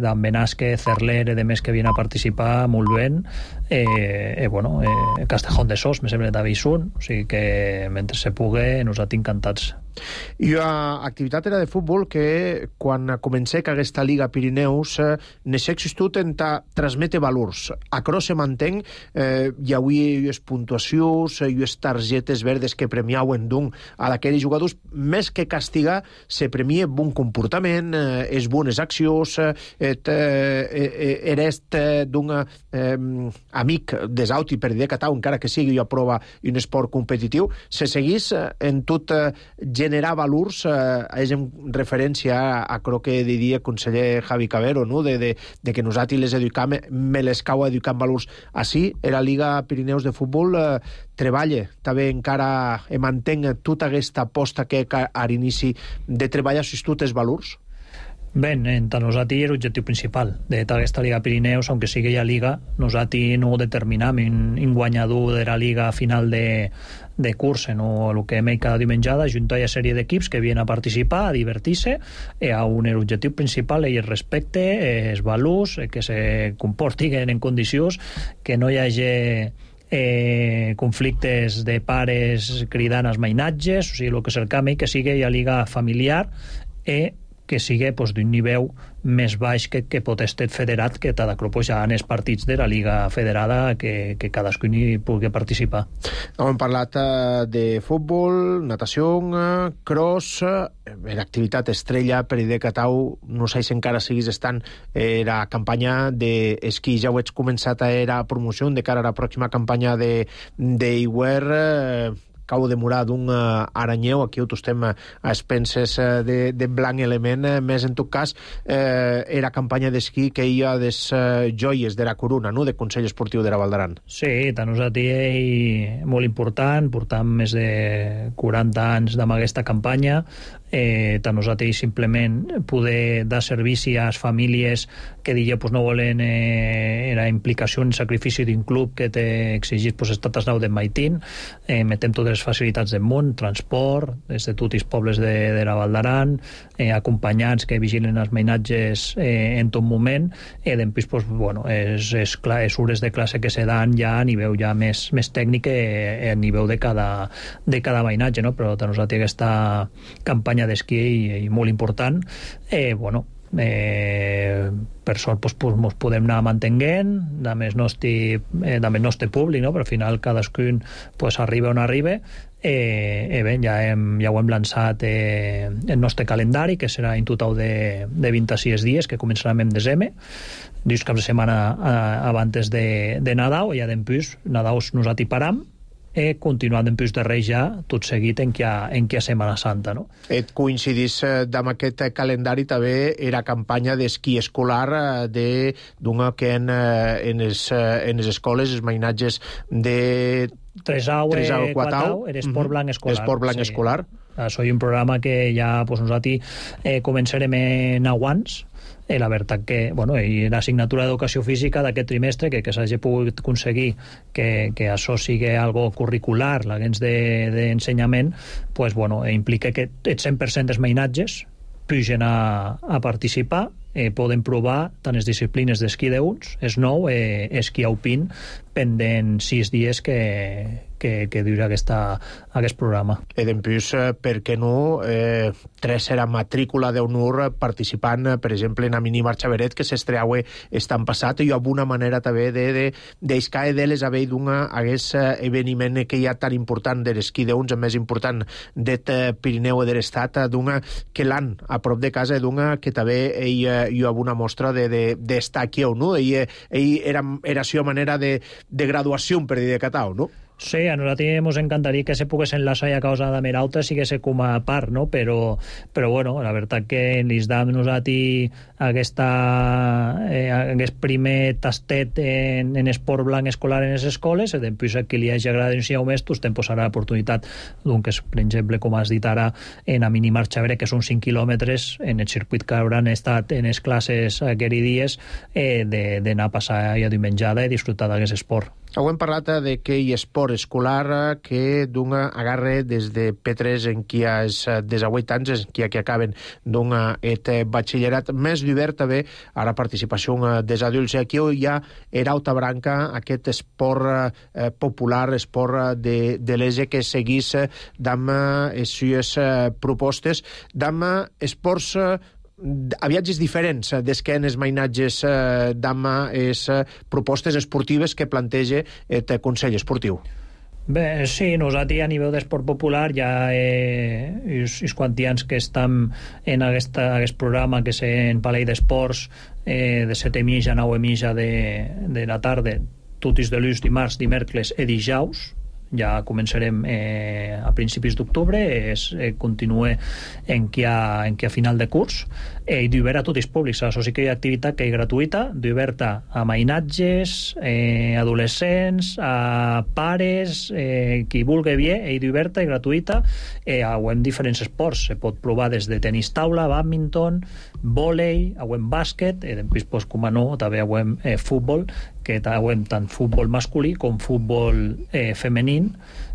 Speaker 6: d'en Benasque, Cerler i de més que vienen a participar molt bé, eh, eh, bueno, eh, Castejón de Sos, me sembla també hi són, o sigui que mentre se pugui nosaltres encantats.
Speaker 1: I l'activitat era de futbol que quan comencé que aquesta Liga Pirineus eh, n'he existut en ta transmete valors. Acro se mantén, eh, hi havia les puntuacions, i les targetes verdes que premiauen d'un a d'aquells jugadors, més que castigar, se premia bon comportament, eh, és bones accions, eh, eh, erest eh, d'un eh, amic des auti per dir que tau, encara que sigui jo prova un esport competitiu, se seguís eh, en tot eh, generar valors, eh, és en referència a, a crec que diria conseller Javi Cabero, no? de, de, de que nosaltres les educam, me les cau educant valors. Així, la Liga Pirineus de Futbol eh, treballa, també encara e mantenga tota aquesta aposta que a l'inici de treballar sus tots els valors?
Speaker 6: Ben, entre nosaltres és l'objectiu principal de tota aquesta Liga Pirineus, aunque sigui ja Liga, nosaltres no determinam un guanyador de la Liga final de, de curs, no el que hem cada dimenjada, juntar a sèrie d'equips que vienen a participar, a divertir-se, i a un objectiu principal és el respecte, els valors, que se comportin en condicions, que no hi hagi eh, conflictes de pares cridant als mainatges, o sigui, el que cercam és que sigui ja Liga familiar i que sigui pues, d'un nivell més baix que, que pot estar federat, que t'ha pues, ja en els partits de la Liga Federada que, que cadascun hi pugui participar.
Speaker 1: Hem parlat uh, de futbol, natació, uh, cross, uh, l'activitat estrella per idea que tau, no sé si encara siguis estant, era campanya d'esquí, ja ho ets començat a era promoció de cara a la pròxima campanya de, de Iwer, uh, cau de demorar d'un uh, aranyeu, aquí ho estem a expenses uh, de, de blanc element, uh, més en tot cas eh, era campanya d'esquí que hi ha des uh, joies de la corona, no?, de Consell Esportiu de la Val d'Aran.
Speaker 6: Sí, tant nosaltres és molt important, portam més de quaranta anys amb aquesta campanya, eh, tant nosaltres simplement poder dar servici a les famílies que digue, pues, no volen eh, la implicació en sacrifici d'un club que té exigit pues, estates nou de Maitín, eh, metem totes les facilitats del món, transport, des de tots els pobles de, de la Val d'Aran, eh, acompanyants que vigilen els mainatges eh, en tot moment, i eh, després, pues, bueno, és, és, clar, és hores de classe que se dan ja a nivell ja més, més tècnic eh, a nivell de cada, de cada mainatge, no? Però nosaltres aquesta campanya d'esquí i, i molt important, eh, bueno, eh, per sort pues, pues, mos podem anar mantenint amb el nostre, eh, amb el nostre públic, no? Però al final cadascun pues, arriba on arriba. Eh, eh, bé, ja, hem, ja ho hem lançat eh, el nostre calendari, que serà en total de, de vint-i-sis dies, que començarem en desembre, dius caps de setmana eh, abans de, de Nadal, i ja després Nadal nosaltres param, i continuant després de Reis ja tot seguit en què en què Setmana Santa, no?
Speaker 1: Et coincidís eh, amb aquest calendari també era campanya d'esquí escolar de d'una que en, en, es, en les escoles els mainatges de
Speaker 6: Tresau i Quatau era esport blanc escolar.
Speaker 1: Esport blanc sí. escolar.
Speaker 6: Això és un programa que ja pues, nosaltres eh, començarem en aguants. Eh, la veritat que, bueno, i l'assignatura d'educació física d'aquest trimestre, que, que s'hagi pogut aconseguir que, que això sigui algo curricular, l'agents d'ensenyament, de, pues, bueno, implica que el cent per cent dels mainatges pugen a, a participar, eh, poden provar tant les disciplines d'esquí d'uns, és nou, eh, esquí alpin, pendent sis dies que, que, que dura aquesta, aquest programa.
Speaker 1: I després, per què no, eh, tres era matrícula d'honor participant, per exemple, en a mini marxa veret que s'estreaue estan passat, i alguna manera també de, de, d'escae d'elles haver d'una hagués eveniment que hi ha tan important de l'esquí d'uns, més important d'et Pirineu i de l'estat, d'una que l'han a prop de casa, d'una que també ell, hi ha una mostra de, de, d'estar aquí o no, ell, ell era, era seva manera de, de graduació, per dir de Catau, no?
Speaker 6: Sí, a nosaltres ens encantaria que se pogués enlaçar a causa de Merauta sigués com a part, no? Però, però bueno, la veritat que ens dam nosaltres aquesta, eh, aquest primer tastet en, en esport blanc escolar en les escoles, i després a qui li hagi agradat ensenyar més, doncs te'n posarà l'oportunitat, doncs, per exemple, com has dit ara, en a mini marxa vere, que són cinc quilòmetres, en el circuit que hauran estat en les classes aquells dies, eh, d'anar a passar ja diumenjada i disfrutar d'aquest esport.
Speaker 1: Hem parlat d'aquell esport escolar que d'un agarre des de P tres en qui és des de vuit anys, en qui que acaben d'un et batxillerat més divert també a la participació dels adults. I aquí hi ha era alta branca, aquest esport eh, popular, esport de, de l'E S E que seguís d'amb les seves propostes, d'amb esports a viatges diferents des que en els mainatges eh, d'ama és eh, propostes esportives que planteja el Consell Esportiu.
Speaker 6: Bé, sí, nosaltres a nivell d'esport popular ja eh, és, és quantians que estem en aquesta, aquest programa que és en Palais d'Esports eh, de set i mitja a nou i mitja de, de la tarda, tots els dilluns, dimarts, dimecres i dijous. Ja començarem eh, a principis d'octubre, es eh, continua en qui ha, en qui ha final de curs, eh, i d'obert a tots els públics. Això sí que hi ha activitat que és gratuïta, d'obert a mainatges, eh, adolescents, a pares, eh, qui vulgui bé, i d'obert i gratuïta. Eh, hem diferents esports, se pot provar des de tenis taula, badminton, vòlei, hem bàsquet, i després, pues, com a no, també hem eh, futbol, que hem tant futbol masculí com futbol eh, femení,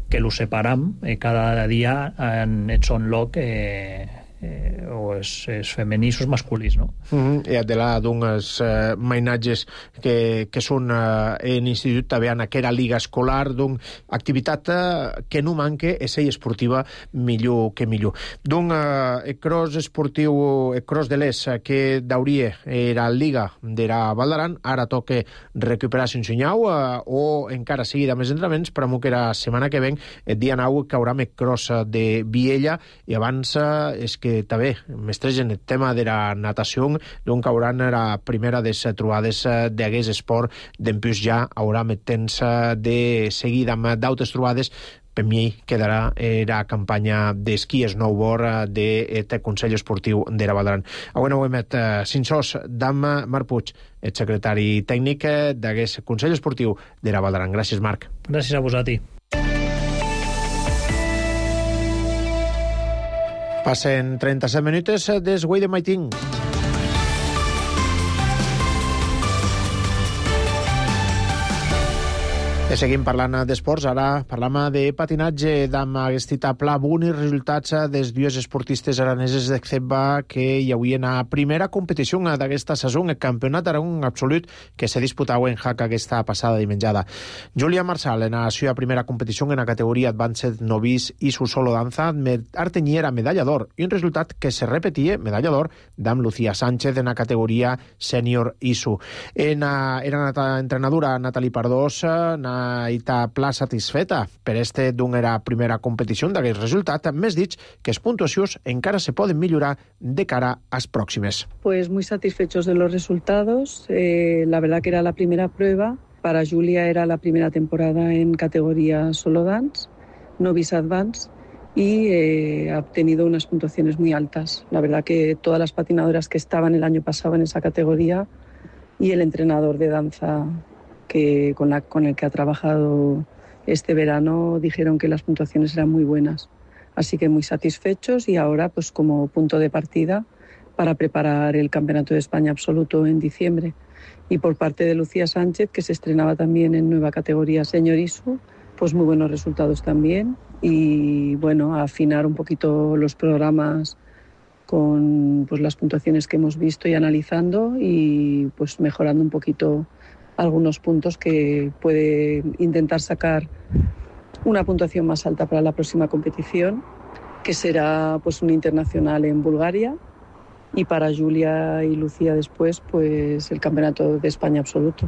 Speaker 6: que lo separam eh, cada dia en el son loc eh, eh, o és, és femenís o és masculís, no?
Speaker 1: Mm-hmm. I de la d'uns eh, mainatges que, que són eh, en institut també en aquella liga escolar, d'un activitat eh, que no manque és ella esportiva millor que millor. D'un eh, cross esportiu, el cross de l'Es que d'hauria era liga de la Val d'Aran, ara toca recuperar sin senyau eh, o encara sigui de més entrenaments, però que era setmana que ven el dia nou que haurà el cross de Viella, i abans eh, és que també mestregen el tema de la natació, doncs hauran la primera de les trobades d'aquest esport, d'empús ja haurà el temps de seguir amb d'altres trobades. Per mi quedarà la campanya d'esquí snowboard del Consell Esportiu de la Val d'Aran. Avui no ho hem met cinsos d'Am Marc Puig, el secretari tècnic d'aquest Consell Esportiu de la Val d'Aran. Gràcies, Marc.
Speaker 6: Gràcies a vosaltres.
Speaker 1: Passen trenta-set minuts des Güell de Maiting. I seguim parlant d'esports, ara parlam de patinatge d'amb aquest pla bons resultats dels dues esportistes araneses de Ceba que hi havien a primera competició d'aquesta saison, el campionat Aragón absolut que se disputava en Jaca aquesta passada dimenjada. Júlia Marsal, en la seva primera competició en la categoria Advanced Novice i su solo danza, artenyiera medalla d'or, i un resultat que se repetia, medalla d'or, d'amb Lucía Sánchez en la categoria Senior I S U. En la, era la entrenadora Natalie Pardós, na Ita pla satisfeta per este d'una era primera competició d'aquest resultat, més dit que les puntuacions encara se poden millorar de cara a las próximes.
Speaker 7: Pues muy satisfechos de los resultados. Eh, la verdad que era la primera prueba. Para Julia era la primera temporada en categoría solo dance, novice advance, y eh, ha obtenido unas puntuaciones muy altas. La verdad que todas las patinadoras que estaban el año pasado en esa categoría y el entrenador de danza que con, la, con el que ha trabajado este verano dijeron que las puntuaciones eran muy buenas. Así que muy satisfechos, y ahora pues como punto de partida para preparar el Campeonato de España Absoluto en diciembre. Y por parte de Lucía Sánchez, que se estrenaba también en nueva categoría Senior I S U, pues muy buenos resultados también. Y bueno, a afinar un poquito los programas con pues las puntuaciones que hemos visto y analizando, y pues mejorando un poquito algunos puntos que puede intentar sacar una puntuación más alta para la próxima competición, que será pues un internacional en Bulgaria, y para Júlia i Lucía després pues, el Campionat d'Espanya absolut.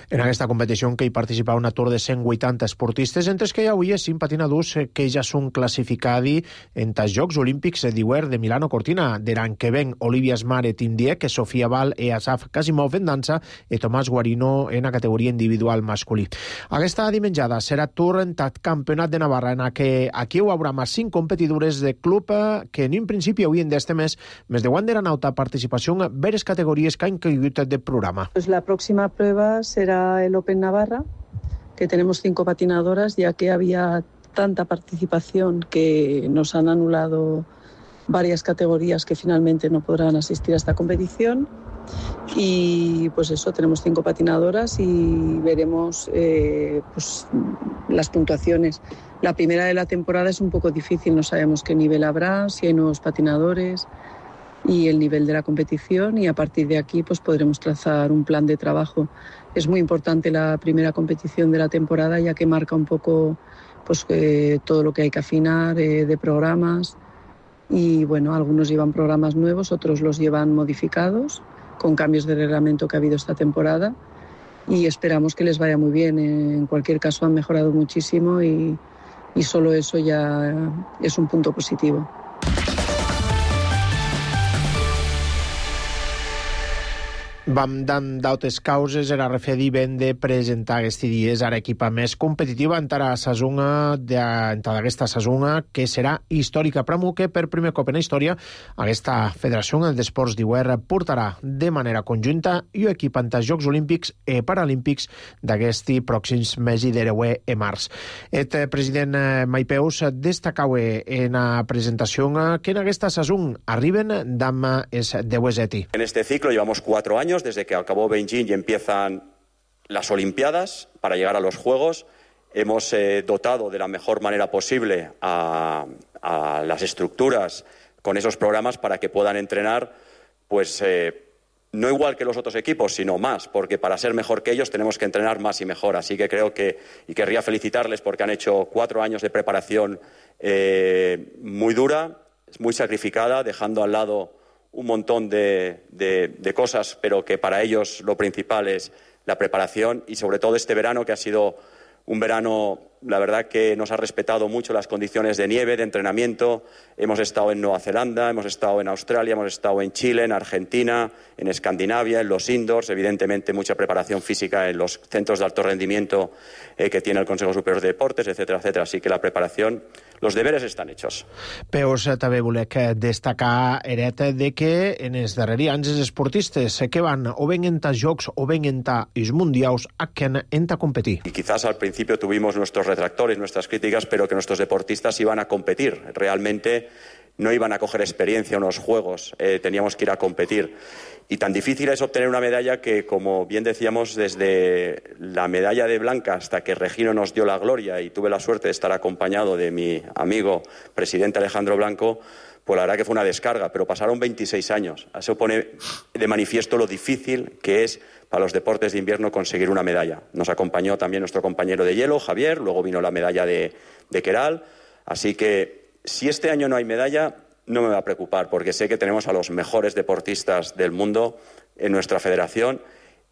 Speaker 1: En aquesta competició que hi participa una tour de cent vuitanta esportistes, entre els que hi havia cinc patinadors que ja són classificats en els Jocs Olímpics d'hivern de Milano Cortina, de l'any que ven Olivia Smare, Tim Dieck, Sofia Val i Asaf Kasimov en dansa i Tomàs Guarino en la categoria individual masculí. Aquesta dimenjada serà tour en el Campionat de Navarra, en què aquí hi haurà més cinc competidores de club que en un principi haurien d'este mes, més de Wander Nauta participación en varias categorías que han caído del programa.
Speaker 7: Pues la próxima prueba será el Open Navarra, que tenemos cinco patinadoras, ya que había tanta participación que nos han anulado varias categorías que finalmente no podrán asistir a esta competición. Y pues eso, tenemos cinco patinadoras y veremos eh, pues, las puntuaciones. La primera de la temporada es un poco difícil, no sabemos qué nivel habrá, si hay nuevos patinadores y el nivel de la competición, y a partir de aquí pues podremos trazar un plan de trabajo. Es muy importante la primera competición de la temporada, ya que marca un poco pues eh, todo lo que hay que afinar eh, de programas, y bueno, algunos llevan programas nuevos, otros los llevan modificados con cambios de reglamento que ha habido esta temporada, y esperamos que les vaya muy bien. En cualquier caso han mejorado muchísimo y, y solo eso ya es un punto positivo.
Speaker 1: Vam d'altres causes, era refedi ben de presentar aquests dies a l'equipa més competitiva en la sazonga d'aquesta sazonga, que serà històrica per Amu, que per primer cop en la història aquesta Federació d'Esports d'Hivern portarà de manera conjunta i equipa en els Jocs Olímpics i Paralímpics d'aquest pròxims mesos d'hereu e març. El president Maipeus destacava en la presentació que en aquesta sazonga arriben d'amma els deues eti.
Speaker 8: En este ciclo llevamos cuatro años desde que acabó Beijing y empiezan las Olimpiadas para llegar a los Juegos. Hemos eh, dotado de la mejor manera posible a, a las estructuras con esos programas para que puedan entrenar, pues eh, no igual que los otros equipos, sino más, porque para ser mejor que ellos tenemos que entrenar más y mejor. Así que creo que, y querría felicitarles porque han hecho cuatro años de preparación eh, muy dura, muy sacrificada, dejando al lado un montón de, de, de cosas, pero que para ellos lo principal es la preparación, y sobre todo este verano, que ha sido un verano, la verdad, que nos ha respetado mucho las condiciones de nieve, de entrenamiento. Hemos estado en Nueva Zelanda, hemos estado en Australia, hemos estado en Chile, en Argentina, en Escandinavia, en los indoors, evidentemente mucha preparación física en los centros de alto rendimiento eh, que tiene el Consejo Superior de Deportes, etcétera, etcétera. Así que la preparación, los deberes están hechos.
Speaker 1: Peus, també volec destacar, Eret, de que en els darrers anys els esportistes que van o ven en els Jocs o ven en els Mundials a que en a competir.
Speaker 8: Y quizás al principio tuvimos nuestros retractores, nuestras críticas, pero que nuestros deportistas iban a competir. Realmente no iban a coger experiencia en unos Juegos, eh, teníamos que ir a competir. Y tan difícil es obtener una medalla que, como bien decíamos, desde la medalla de blanca hasta que Regino nos dio la gloria y tuve la suerte de estar acompañado de mi amigo presidente Alejandro Blanco, pues la verdad que fue una descarga, pero pasaron veintiséis años. Eso pone de manifiesto lo difícil que es para los deportes de invierno conseguir una medalla. Nos acompañó también nuestro compañero de hielo, Javier, luego vino la medalla de, de Queral. Así que si este año no hay medalla, no me va a preocupar, porque sé que tenemos a los mejores deportistas del mundo en nuestra federación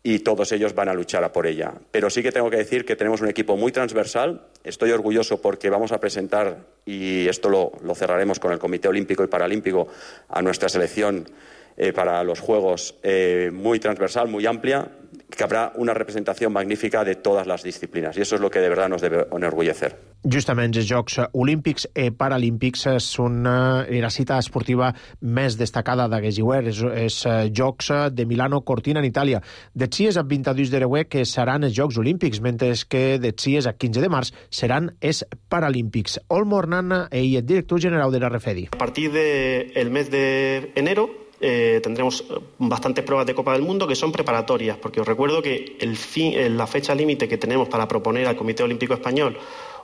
Speaker 8: y todos ellos van a luchar a por ella. Pero sí que tengo que decir que tenemos un equipo muy transversal. Estoy orgulloso porque vamos a presentar, y esto lo, lo cerraremos con el Comité Olímpico y Paralímpico, a nuestra selección eh, para los Juegos eh, muy transversal, muy amplia, que habrá una representación magnífica de todas las disciplinas, y eso es lo que de verdad nos debe enorgullecer.
Speaker 1: Justament els Jocs Olímpics i Paralímpics són eh, la cita esportiva més destacada d'aquest hivern, és, és eh, Jocs de Milano Cortina en Itàlia. De sis a vint-i-dos d'hereu que seran els Jocs Olímpics, mentre que de sis a quinze de març seran els Paralímpics. Olmo Hernán, el director general de la Refedi.
Speaker 9: A partir del mes de enero Eh, tendremos bastantes pruebas de Copa del Mundo que son preparatorias, porque os recuerdo que el fin, la fecha límite que tenemos para proponer al Comité Olímpico Español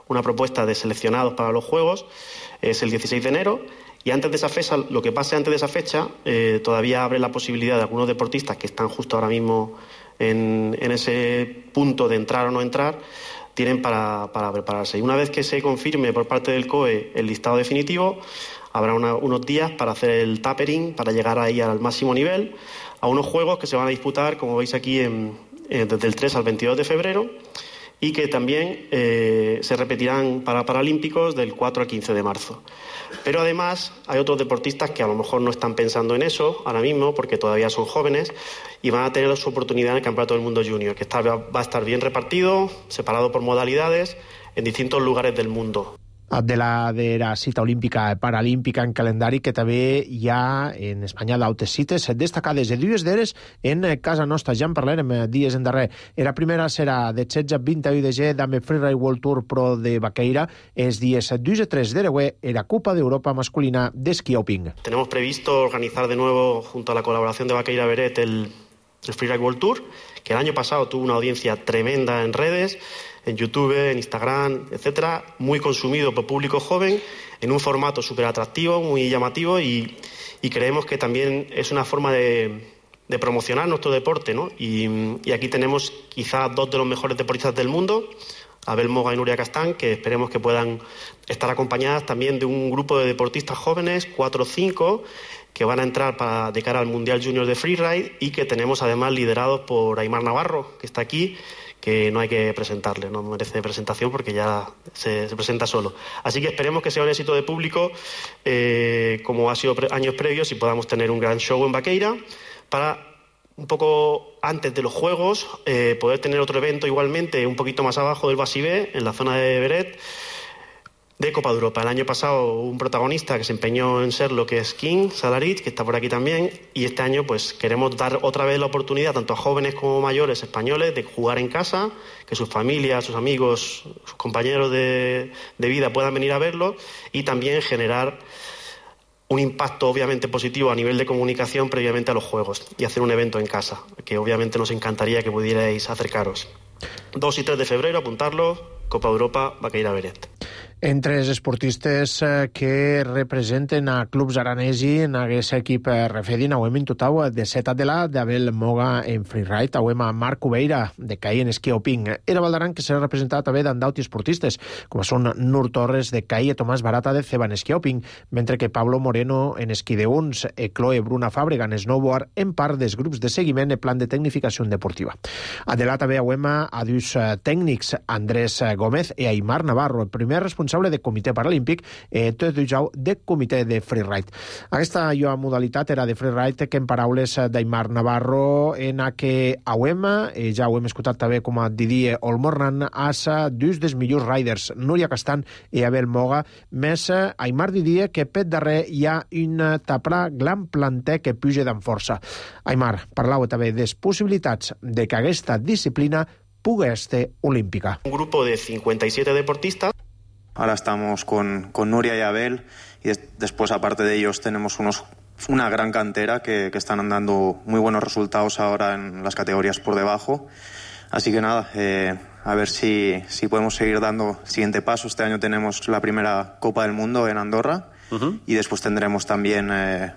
Speaker 9: una propuesta de seleccionados para los Juegos es el dieciséis de enero, y antes de esa fecha, lo que pase antes de esa fecha, eh, todavía abre la posibilidad de algunos deportistas que están justo ahora mismo en, en ese punto de entrar o no entrar, tienen para, para prepararse. Y una vez que se confirme por parte del C O E el listado definitivo, habrá una, unos días para hacer el tapering, para llegar ahí al máximo nivel, a unos juegos que se van a disputar, como veis aquí, en, en, desde el tres al veintidós de febrero, y que también eh, se repetirán para Paralímpicos del cuatro al quince de marzo. Pero además hay otros deportistas que a lo mejor no están pensando en eso ahora mismo, porque todavía son jóvenes, y van a tener su oportunidad en el Campeonato del Mundo Junior, que está, va a estar bien repartido, separado por modalidades, en distintos lugares del mundo.
Speaker 1: De la, de la cita olímpica i paralímpica en calendari, que també hi ha en Espanya d'altres cites destacades de dues d'eres en casa nostra. Ja en parlarem dies endarrer. La primera serà de setze a vint-i-u de gener amb el Freeride World Tour Pro de Baqueira, els dies dos i tres de Reué en la Copa d'Europa masculina d'esquí alpín.
Speaker 9: Tenemos previsto organizar de nuevo, junto a la colaboración de Baqueira Beret, el, el Freeride World Tour, que el año pasado tuvo una audiencia tremenda en redes, en YouTube, en Instagram, etcétera, muy consumido por público joven, en un formato súper atractivo, muy llamativo, y, y creemos que también es una forma de, de promocionar nuestro deporte, ¿no? Y, y aquí tenemos quizás dos de los mejores deportistas del mundo, Abel Moga y Nuria Castán, que esperemos que puedan estar acompañadas también de un grupo de deportistas jóvenes, cuatro o cinco, que van a entrar para, de cara al Mundial Junior de Freeride, y que tenemos además liderados por Aimar Navarro, que está aquí, que no hay que presentarle, no merece presentación porque ya se, se presenta solo. Así que esperemos que sea un éxito de público, eh, como ha sido pre- años previos, y podamos tener un gran show en Baqueira para, un poco antes de los Juegos, eh, poder tener otro evento igualmente un poquito más abajo del Basibé, en la zona de Beret, de Copa de Europa. El año pasado un protagonista que se empeñó en ser lo que es King Salarit, que está por aquí también, y este año pues queremos dar otra vez la oportunidad tanto a jóvenes como mayores españoles de jugar en casa, que sus familias, sus amigos, sus compañeros de, de vida puedan venir a verlo, y también generar un impacto obviamente positivo a nivel de comunicación previamente a los Juegos y hacer un evento en casa, que obviamente nos encantaría que pudierais acercaros. dos y tres de febrero, apuntarlo, Copa de Europa, Baqueira Beret.
Speaker 1: Entre els esportistes que representen a clubs aranesi en aquest equip refedin, hauem intutau de set de la d'Abel Moga en freeride, hauem a Marc Cubeira de CAI en esquí alpín. Era Valdaran que serà representat també d'andauti esportistes, com són Nur Torres de CAI i Tomàs Barata de Ceba en esquí alpín, mentre que Pablo Moreno en esquí de uns i Chloe Bruna Fàbrega en snowboard en part dels grups de seguiment i plan de tecnificació deportiva. A de la també hauem a dos tècnics, Andrés Gómez i Aimar Navarro, el primer responsable de comitè paralímpic i tot dijous de comitè de freeride. Aquesta jo modalitat era de freeride que en paraules d'Aimar Navarro en a que hauem, eh, ja ho hem escoltat també com a Didier Olmornan, as dos dels millors riders, Núria Castan i Abel Moga, més Aimar Didier que pet darrer hi ha un taprà gran planter que puja d'en força. Aimar, parlau també de les possibilitats de que aquesta disciplina pugui ser olímpica.
Speaker 9: Un grupo de cincuenta y siete deportistas.
Speaker 10: Ahora estamos con, con Nuria y Abel, y des, después, aparte de ellos, tenemos unos, una gran cantera que, que están dando muy buenos resultados ahora en las categorías por debajo. Así que nada, eh, a ver si, si podemos seguir dando el siguiente paso. Este año tenemos la primera Copa del Mundo en Andorra, uh-huh. y después tendremos también eh,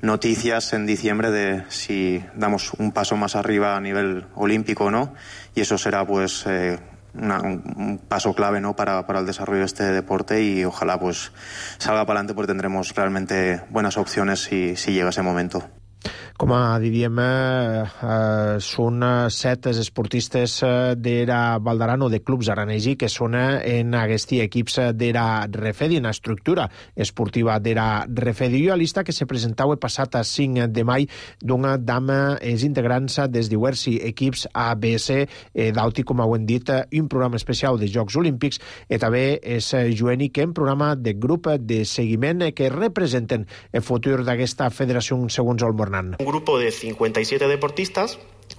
Speaker 10: noticias en diciembre de si damos un paso más arriba a nivel olímpico o no, y eso será pues... Eh, Una, un paso clave, ¿no?, para, para el desarrollo de este deporte, y ojalá pues salga para adelante porque tendremos realmente buenas opciones si, si llega ese momento.
Speaker 1: Com a diríem, eh, són set esportistes de la Valdaran o de clubs aranesi que són en aquests equips de la Refedi, en la estructura esportiva de la Refedi. I la lista que se presentava el passat cinc de maig d'una dama els integrants des diversos equips A B C eh, d'Auti, com ho hem dit, un programa especial de Jocs Olímpics, i també és Joeni, que en programa de grup de seguiment que representen el futur d'aquesta federació segons Olmornan.
Speaker 9: Un grupo de cincuenta y siete deportistas.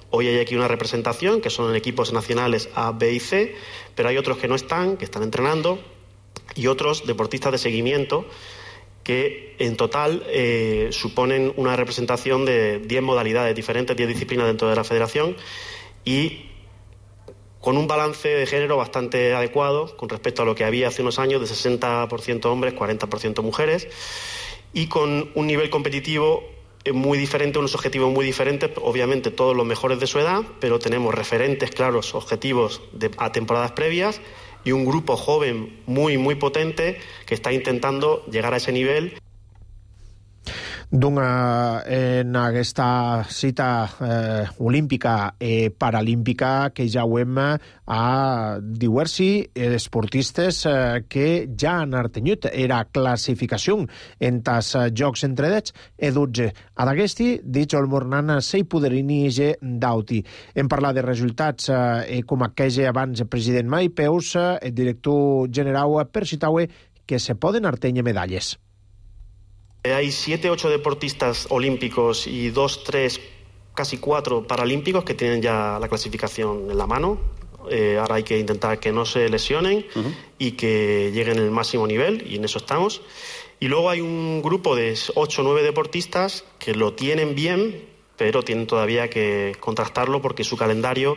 Speaker 9: Hoy hay aquí una representación que son equipos nacionales A, B y C, pero hay otros que no están, que están entrenando, y otros deportistas de seguimiento que en total eh, suponen una representación de diez modalidades diferentes, diez disciplinas dentro de la federación, y con un balance de género bastante adecuado con respecto a lo que había hace unos años, de sesenta por ciento hombres, cuarenta por ciento mujeres, y con un nivel competitivo muy diferentes, unos objetivos muy diferentes, obviamente todos los mejores de su edad, pero tenemos referentes claros, objetivos de, a temporadas previas y un grupo joven muy, muy potente que está intentando llegar a ese nivel.
Speaker 1: Dunha, en aquesta cita eh, olímpica i paralímpica que ja ho hem a diversi esportistes eh, que ja han artenyut era classificació en tas jocs entredets e dotze. Ad aquesti, dic el mornan sei poderini ge dauti. Hem parlat de resultats eh, com aquella abans el president Mai Peus, el director general per Citaue, que se poden artenyer medalles.
Speaker 9: Hay siete, ocho deportistas olímpicos y dos, tres, casi cuatro paralímpicos que tienen ya la clasificación en la mano. Eh, ahora hay que intentar que no se lesionen uh-huh. y que lleguen al máximo nivel, y en eso estamos. Y luego hay un grupo de ocho o nueve deportistas que lo tienen bien, pero tienen todavía que contrastarlo porque su calendario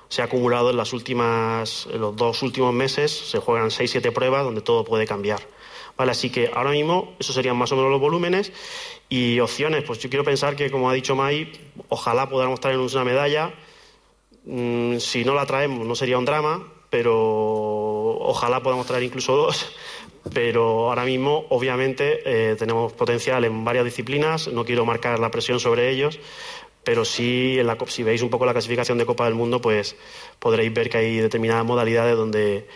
Speaker 9: se ha acumulado en las últimas, en los dos últimos meses. Se juegan seis, siete pruebas donde todo puede cambiar. Vale, así que ahora mismo esos serían más o menos los volúmenes y opciones. Pues yo quiero pensar que, como ha dicho Mai, ojalá podamos traernos una medalla. Mm, si no la traemos no sería un drama, pero ojalá podamos traer incluso dos. Pero ahora mismo, obviamente, eh, tenemos potencial en varias disciplinas. No quiero marcar la presión sobre ellos, pero sí, en la, si veis un poco la clasificación de Copa del Mundo, pues podréis ver que hay determinadas modalidades donde...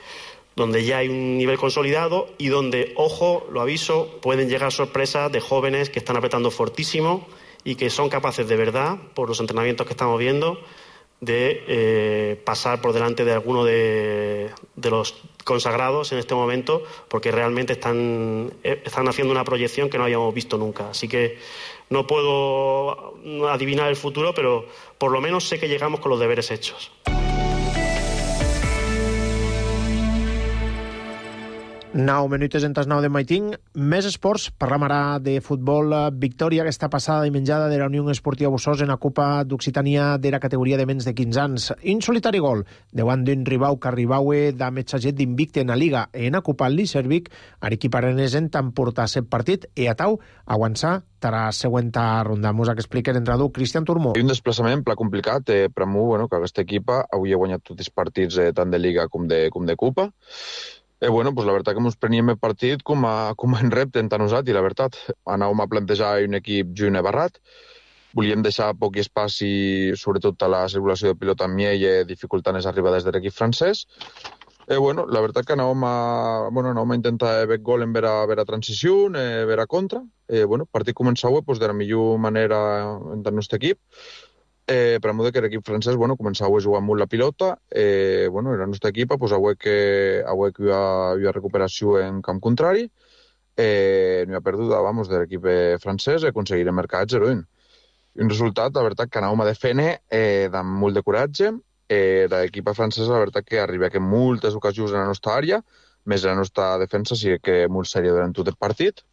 Speaker 9: donde ya hay un nivel consolidado y donde, ojo, lo aviso, pueden llegar sorpresas de jóvenes que están apretando fortísimo y que son capaces de verdad, por los entrenamientos que estamos viendo, de eh, pasar por delante de alguno de, de los consagrados en este momento, porque realmente están, eh, están haciendo una proyección que no habíamos visto nunca. Así que no puedo adivinar el futuro, pero por lo menos sé que llegamos con los deberes hechos.
Speaker 1: Nou minutes en tas nou de maitín. Més esports. Parlam ara de futbol. Victòria aquesta passada i menjada de la Unió Esportiva Bussos en la Copa d'Occitània de la categoria de menys de quinze anys. In solitari gol, davant d'un rival que arribaue de metxaget d'invicte en la Liga en la Copa Liservic, l'equip arenès en tant portar set partit i atau avançar a la següent ronda. Mos que explica l'entrenador Cristian Turmó.
Speaker 11: Un desplaçament pla complicat eh, per a mi, bueno, que aquesta equipa avui ha guanyat tots els partits eh, tant de Liga com de, com de Copa. Eh, bueno, pues la veritat que ens preníem el partit com a, com a en repte en tant nosaltres, la veritat. Anàvem a plantejar un equip junt i barrat, volíem deixar poc espaci, sobretot a la circulació de pilota amb miell, dificultant les arribades de l'equip francès. Eh, bueno, la veritat que anàvem a, bueno, anàvem a intentar fer gol en vera, vera transició, eh, vera contra. Eh, bueno, el partit començava pues, de la millor manera en tant nostre equip. Eh, per a mi que l'equip francès bueno, començava a jugar molt la pilota. Eh, bueno, la nostra equipa pues, avui que, avui que hi ha, hi ha recuperació en camp contrari, eh, no hi ha perduda vamos, de l'equip francès i aconseguirem marcar zero a un. Un resultat, la veritat, que anàvem a defendre eh, amb molt de coratge. Eh, l'equipa francesa, la veritat, que arriba que moltes ocasions en la nostra àrea, més la nostra defensa sí que molt sèria durant tot el partit.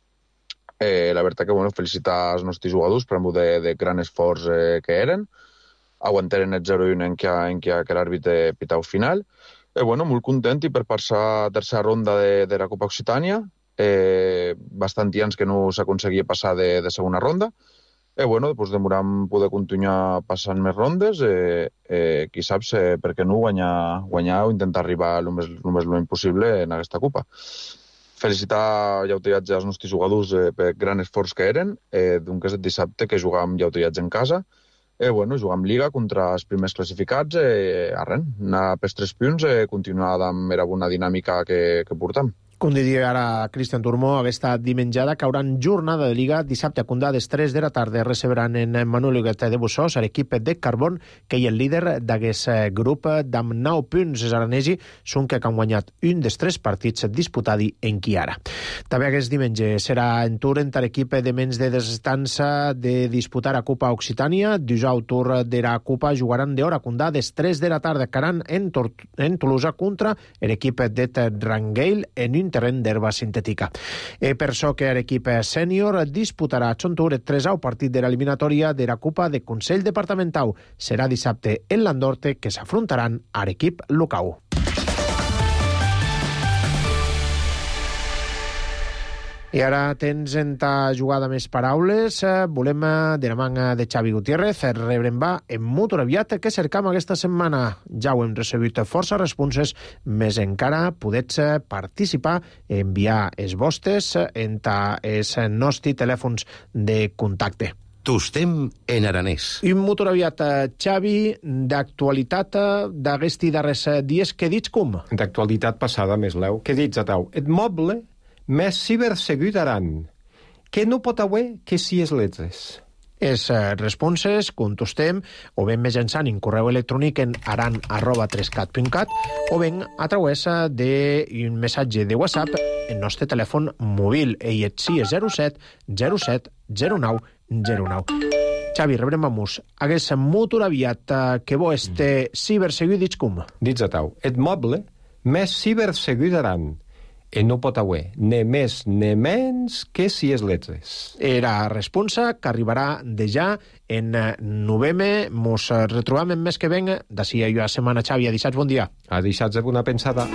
Speaker 11: Eh, la veritat que bueno, felicitar els nostres jugadors per de, de gran esforç eh, que eren. Aguantaren el zero a un en què, en què, que l'àrbitre pitau final. Eh, bueno, molt content i per passar a tercera ronda de, de la Copa Occitània. Eh, bastant anys que no s'aconseguia passar de, de segona ronda. Eh, bueno, després demoram poder continuar passant més rondes. Eh, eh, qui saps eh, per què no guanyar, guanyar o intentar arribar el més, el més lluny possible en aquesta Copa. Felicitar llautillatge als nostres jugadors eh, per gran esforç que eren, eh, d'un que és el dissabte que jugàvem llautillatge en casa. Eh, bueno, jugàvem Liga contra els primers classificats, eh, arren, anar pels tres punts, eh, continuar amb la bona dinàmica que, que portem.
Speaker 1: Com diria ara Cristian Turmó, aquesta dimenjada cauran jornada de Liga dissabte a Condà des tres de la tarda. Receberan en Manuel Huguet de Bussos l'equip de Carbón, que hi és el líder d'aquest grup d'amb nou punts. Els aranesi són que han guanyat un dels tres partits disputats en Chiara. També aquest diumenge serà en tour entre l'equip de menys de destança de disputar a Copa Occitània. Dijous tour de la Copa jugaran d'hora a Condà des tres de la tarda. Caran en, en Tolosa contra l'equip de Rangeil en un terreny d'herba sintètica. E per això que l'equip sènior disputarà a Xontur el tresau partit de l'eliminatòria de la Copa de Consell Departamental. Serà dissabte en Landorte, que s'afrontaran a l'equip local. I ara tens en ta jugada més paraules. Volem, de la manga de Xavi Gutiérrez, rebrem va en molt aviat que cercam aquesta setmana. Ja ho hem recebut força responses, més encara podets participar, enviar els vostres en ta els nostres telèfons de contacte.
Speaker 12: Tostem en aranès.
Speaker 1: I molt aviat, Xavi, d'actualitat d'aquesti darrers dies, què dits com?
Speaker 13: D'actualitat passada, més leu. Què dits, Atau? Et moble més cibersegut aran, que no pot haver que si es letres.
Speaker 1: Els responses contestem o ben mitjançant en correu electrònic en aran arroba trescat punt cat o ben a través d'un missatge de WhatsApp en nostre telèfon mòbil. Ell et si és zero set zero set zero nou zero nou. Xavi, rebrem a mus. Hagués molt aviat que bo este cibersegut dits com?
Speaker 13: Dits, Atau. Et moble més cibersegut aran, i no pot haver ne més ne menys que si es letres.
Speaker 1: Era responsa que arribarà de ja en novembre. Mos retrobam en mes que venga. D'ací a jo a setmana, Xavi. A dissats, bon dia.
Speaker 13: A dissats, bona pensada.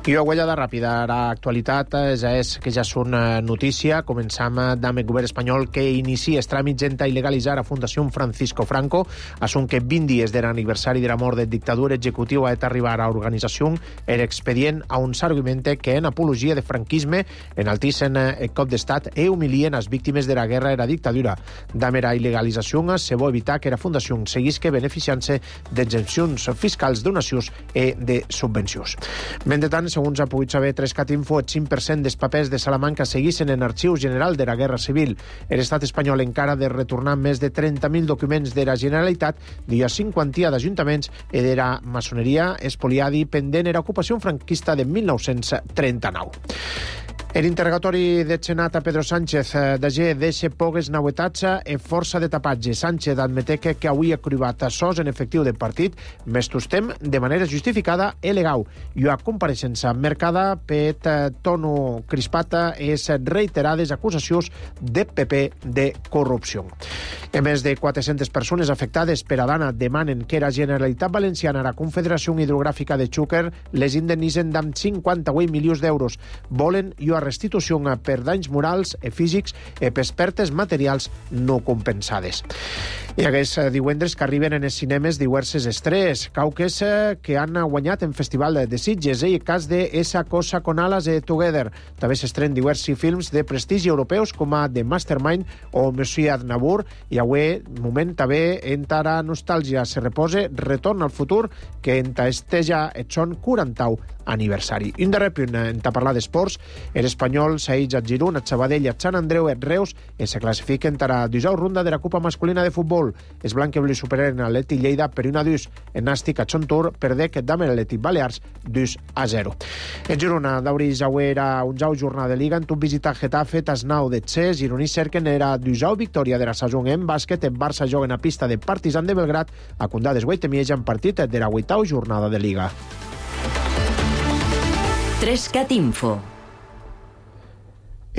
Speaker 1: I una guanyada ràpida. L'actualitat ja és que ja és una notícia. Començam amb el govern espanyol que inicia els tràmits en il·legalitzar a Fundació Francisco Franco. Assunt que vint dies de l'aniversari de la mort del dictador executiu ha d'arribar a l'organització el expedient a un s'argumenta que en apologia de franquisme enaltisen el cop d'estat e humilien les víctimes de la guerra i la dictadura. Damb la il·legalització se vol evitar que la Fundació seguisca beneficiant-se d'exempcions fiscals, donacions i de subvencions. Mentrestant, segons ha pogut saber Trescat Info, el cinc per cent dels papers de Salamanca seguissin en Arxiu General de la Guerra Civil. L'estat espanyol encara de retornar més de trenta mil documents de la Generalitat, d'una cinquantia d'ajuntaments i de la maçoneria espoliada pendent era ocupació franquista de mil nou-cents trenta-nou. L'interrogatori del Senat a Pedro Sánchez d'Agé deixa poques novetats e força de tapatge. Sánchez admete que, que avui ha cribat sos en efectiu del partit, més tostem de manera justificada e legal. I una compareixença mercada per tono crispata és reiterades acusacions de P P de corrupció. A més de quatre-centes persones afectades per Adana demanen que la Generalitat Valenciana, la Confederació Hidrogràfica de Xúquer, les indemnitzen amb cinquanta-vuit milions d'euros. Volen i una restitució per danys morals i físics i per pertes materials no compensades. I aquests divendres que arriben en els cinemes diverses estrenes, cauques que han guanyat en Festival de Sitges, i el cas de Esa cosa con alas de Together. També s'estrenen diversos films de prestigi europeus com a The Mastermind o Monsieur Aznavour, i avui, moment també, entra la nostàlgia, se repose Retorn al futur, que enta esteja et son quarantau aniversari. Un darrer punt, en parlar d'esports, l'Espanyol s'aïtja a Girona, a Sabadell, a Sant Andreu, a Reus, i se classifiquen a la dusau ronda de la Copa Masculina de Futbol. Els blanc-i-blu superen a l'Atlètic Lleida per una dus. En Nàstic a Xontur perdec damb l'Atlètic Balears dos a zero. En Girona, d'Auri Jauer era un jau jornada de Liga, en tot visitar Getafe, Tasnau de Txès, gironís cerquen era dusau victòria de la saison en bàsquet, en Barça joguen a pista de Partizan de Belgrat, a Condades Guaitemieja en partit de la vuitau jornada de Liga.
Speaker 2: Trescat Info.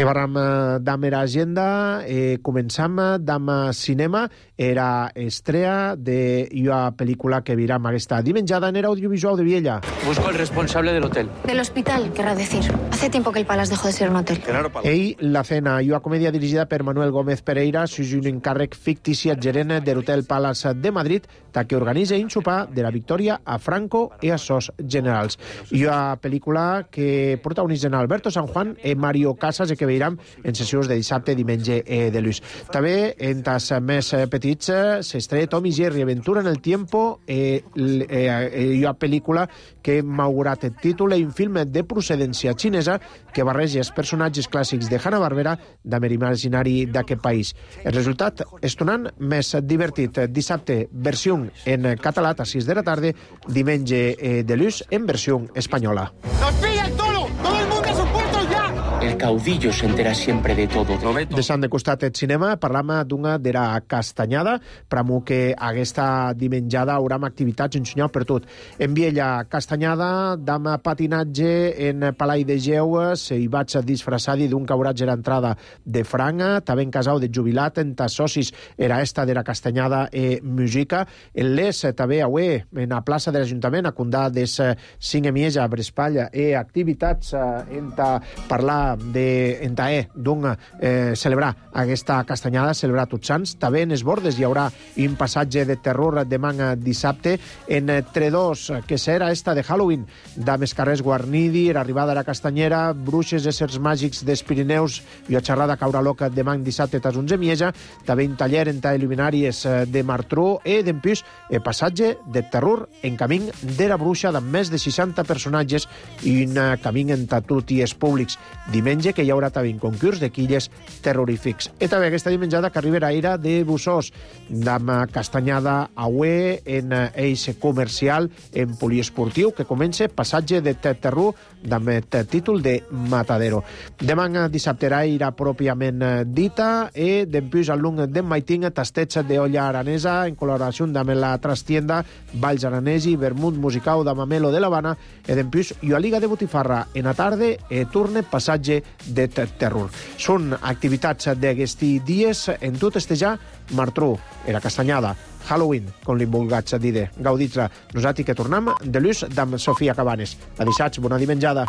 Speaker 1: I barram damb era agenda, eh, començam damb cinema, era estrella d'una pel·lícula que viram aquesta dimenjada en era audiovisual de Viella.
Speaker 14: Busco al responsable del hotel.
Speaker 15: Del hospital, querrá decir. Hace tiempo que el Palace dejó de ser un hotel.
Speaker 1: Ell, La cena, una comèdia dirigida per Manuel Gómez Pereira, sus un encàrrec fictici al gerent de l'Hotel Palace de Madrid, ta que organitza un sopar de la Victòria a Franco i a sos generals. I una pel·lícula que protagonitzen Alberto San Juan i Mario Casas, i que veiram en sessions de dissabte, diumenge i de lluç. També, en tas més petits, s'estrella Tom i Jerry, Aventura en el Tiempo, i una pel·lícula que m'ha augurat el títol i un film de procedència xinesa que barreja els personatges clàssics de Hanna-Barbera amb l'imaginari d'aquest país. El resultat és tonant més divertit. Dissabte, versió en català a sis de la tarda, diumenge de lluç en versió espanyola.
Speaker 16: ¡Nos pilla el toro! ¡Todo el mundo a sus puestos ya!
Speaker 14: El caudillo se entera siempre de todo.
Speaker 1: Deixant de costat el cinema, parlam d'una d'era castanyada, pramu que aquesta dimenjada hauram activitats en senyal per tot. En Viella, castanyada, dam patinatge en Palai de Geu, se hi vaig disfraçar-hi d'un cauratge l'entrada de franga, també en casau de jubilat, en tas socis era esta d'era castanyada e música. En les, també avui, en la plaça de l'Ajuntament, a condar des cinc emieja, Brespalla, e activitats en ta parlar de entae d'un eh, celebrar aquesta castanyada, celebrar Tots Sants. També en els bordes hi haurà un passatge de terror demà dissabte en Tredos, que serà esta de Halloween, dames carrers guarnidi, l'arribada a la castanyera, bruixes, éssers màgics dels Pirineus i a xerrada caura loca demà dissabte tas onze mieja, també un taller en ta il·luminàries de Martró e d'empús el passatge de terror en camí de la bruixa amb més de seixanta personatges i un camí en tatut i es públics. Diumenge que hi haurà també un concurs de quilles terrorífics. I també aquesta dimenjada que arribarà ira de Bussós, amb castanyada aué en eix comercial, en poliesportiu, que comença passatge de terror amb el títol de Matadero. Demà dissabte irà pròpiament dita e d'empús al lung de Maiting tastets d'olla aranesa en col·laboració amb la trastienda Valls Aranesi, vermut musical de Mamelo de l'Havana e d'empús i a Liga de Botifarra en la tarda e turne passatge de terror. Són activitats d'aquests dies en tot estejar Martró, era castanyada, Halloween, com li vulgats dir. Gaudits-la. Nosaltres que tornem de l'ús d'amb Sofia Cabanes. A dissabte, bona dimenjada.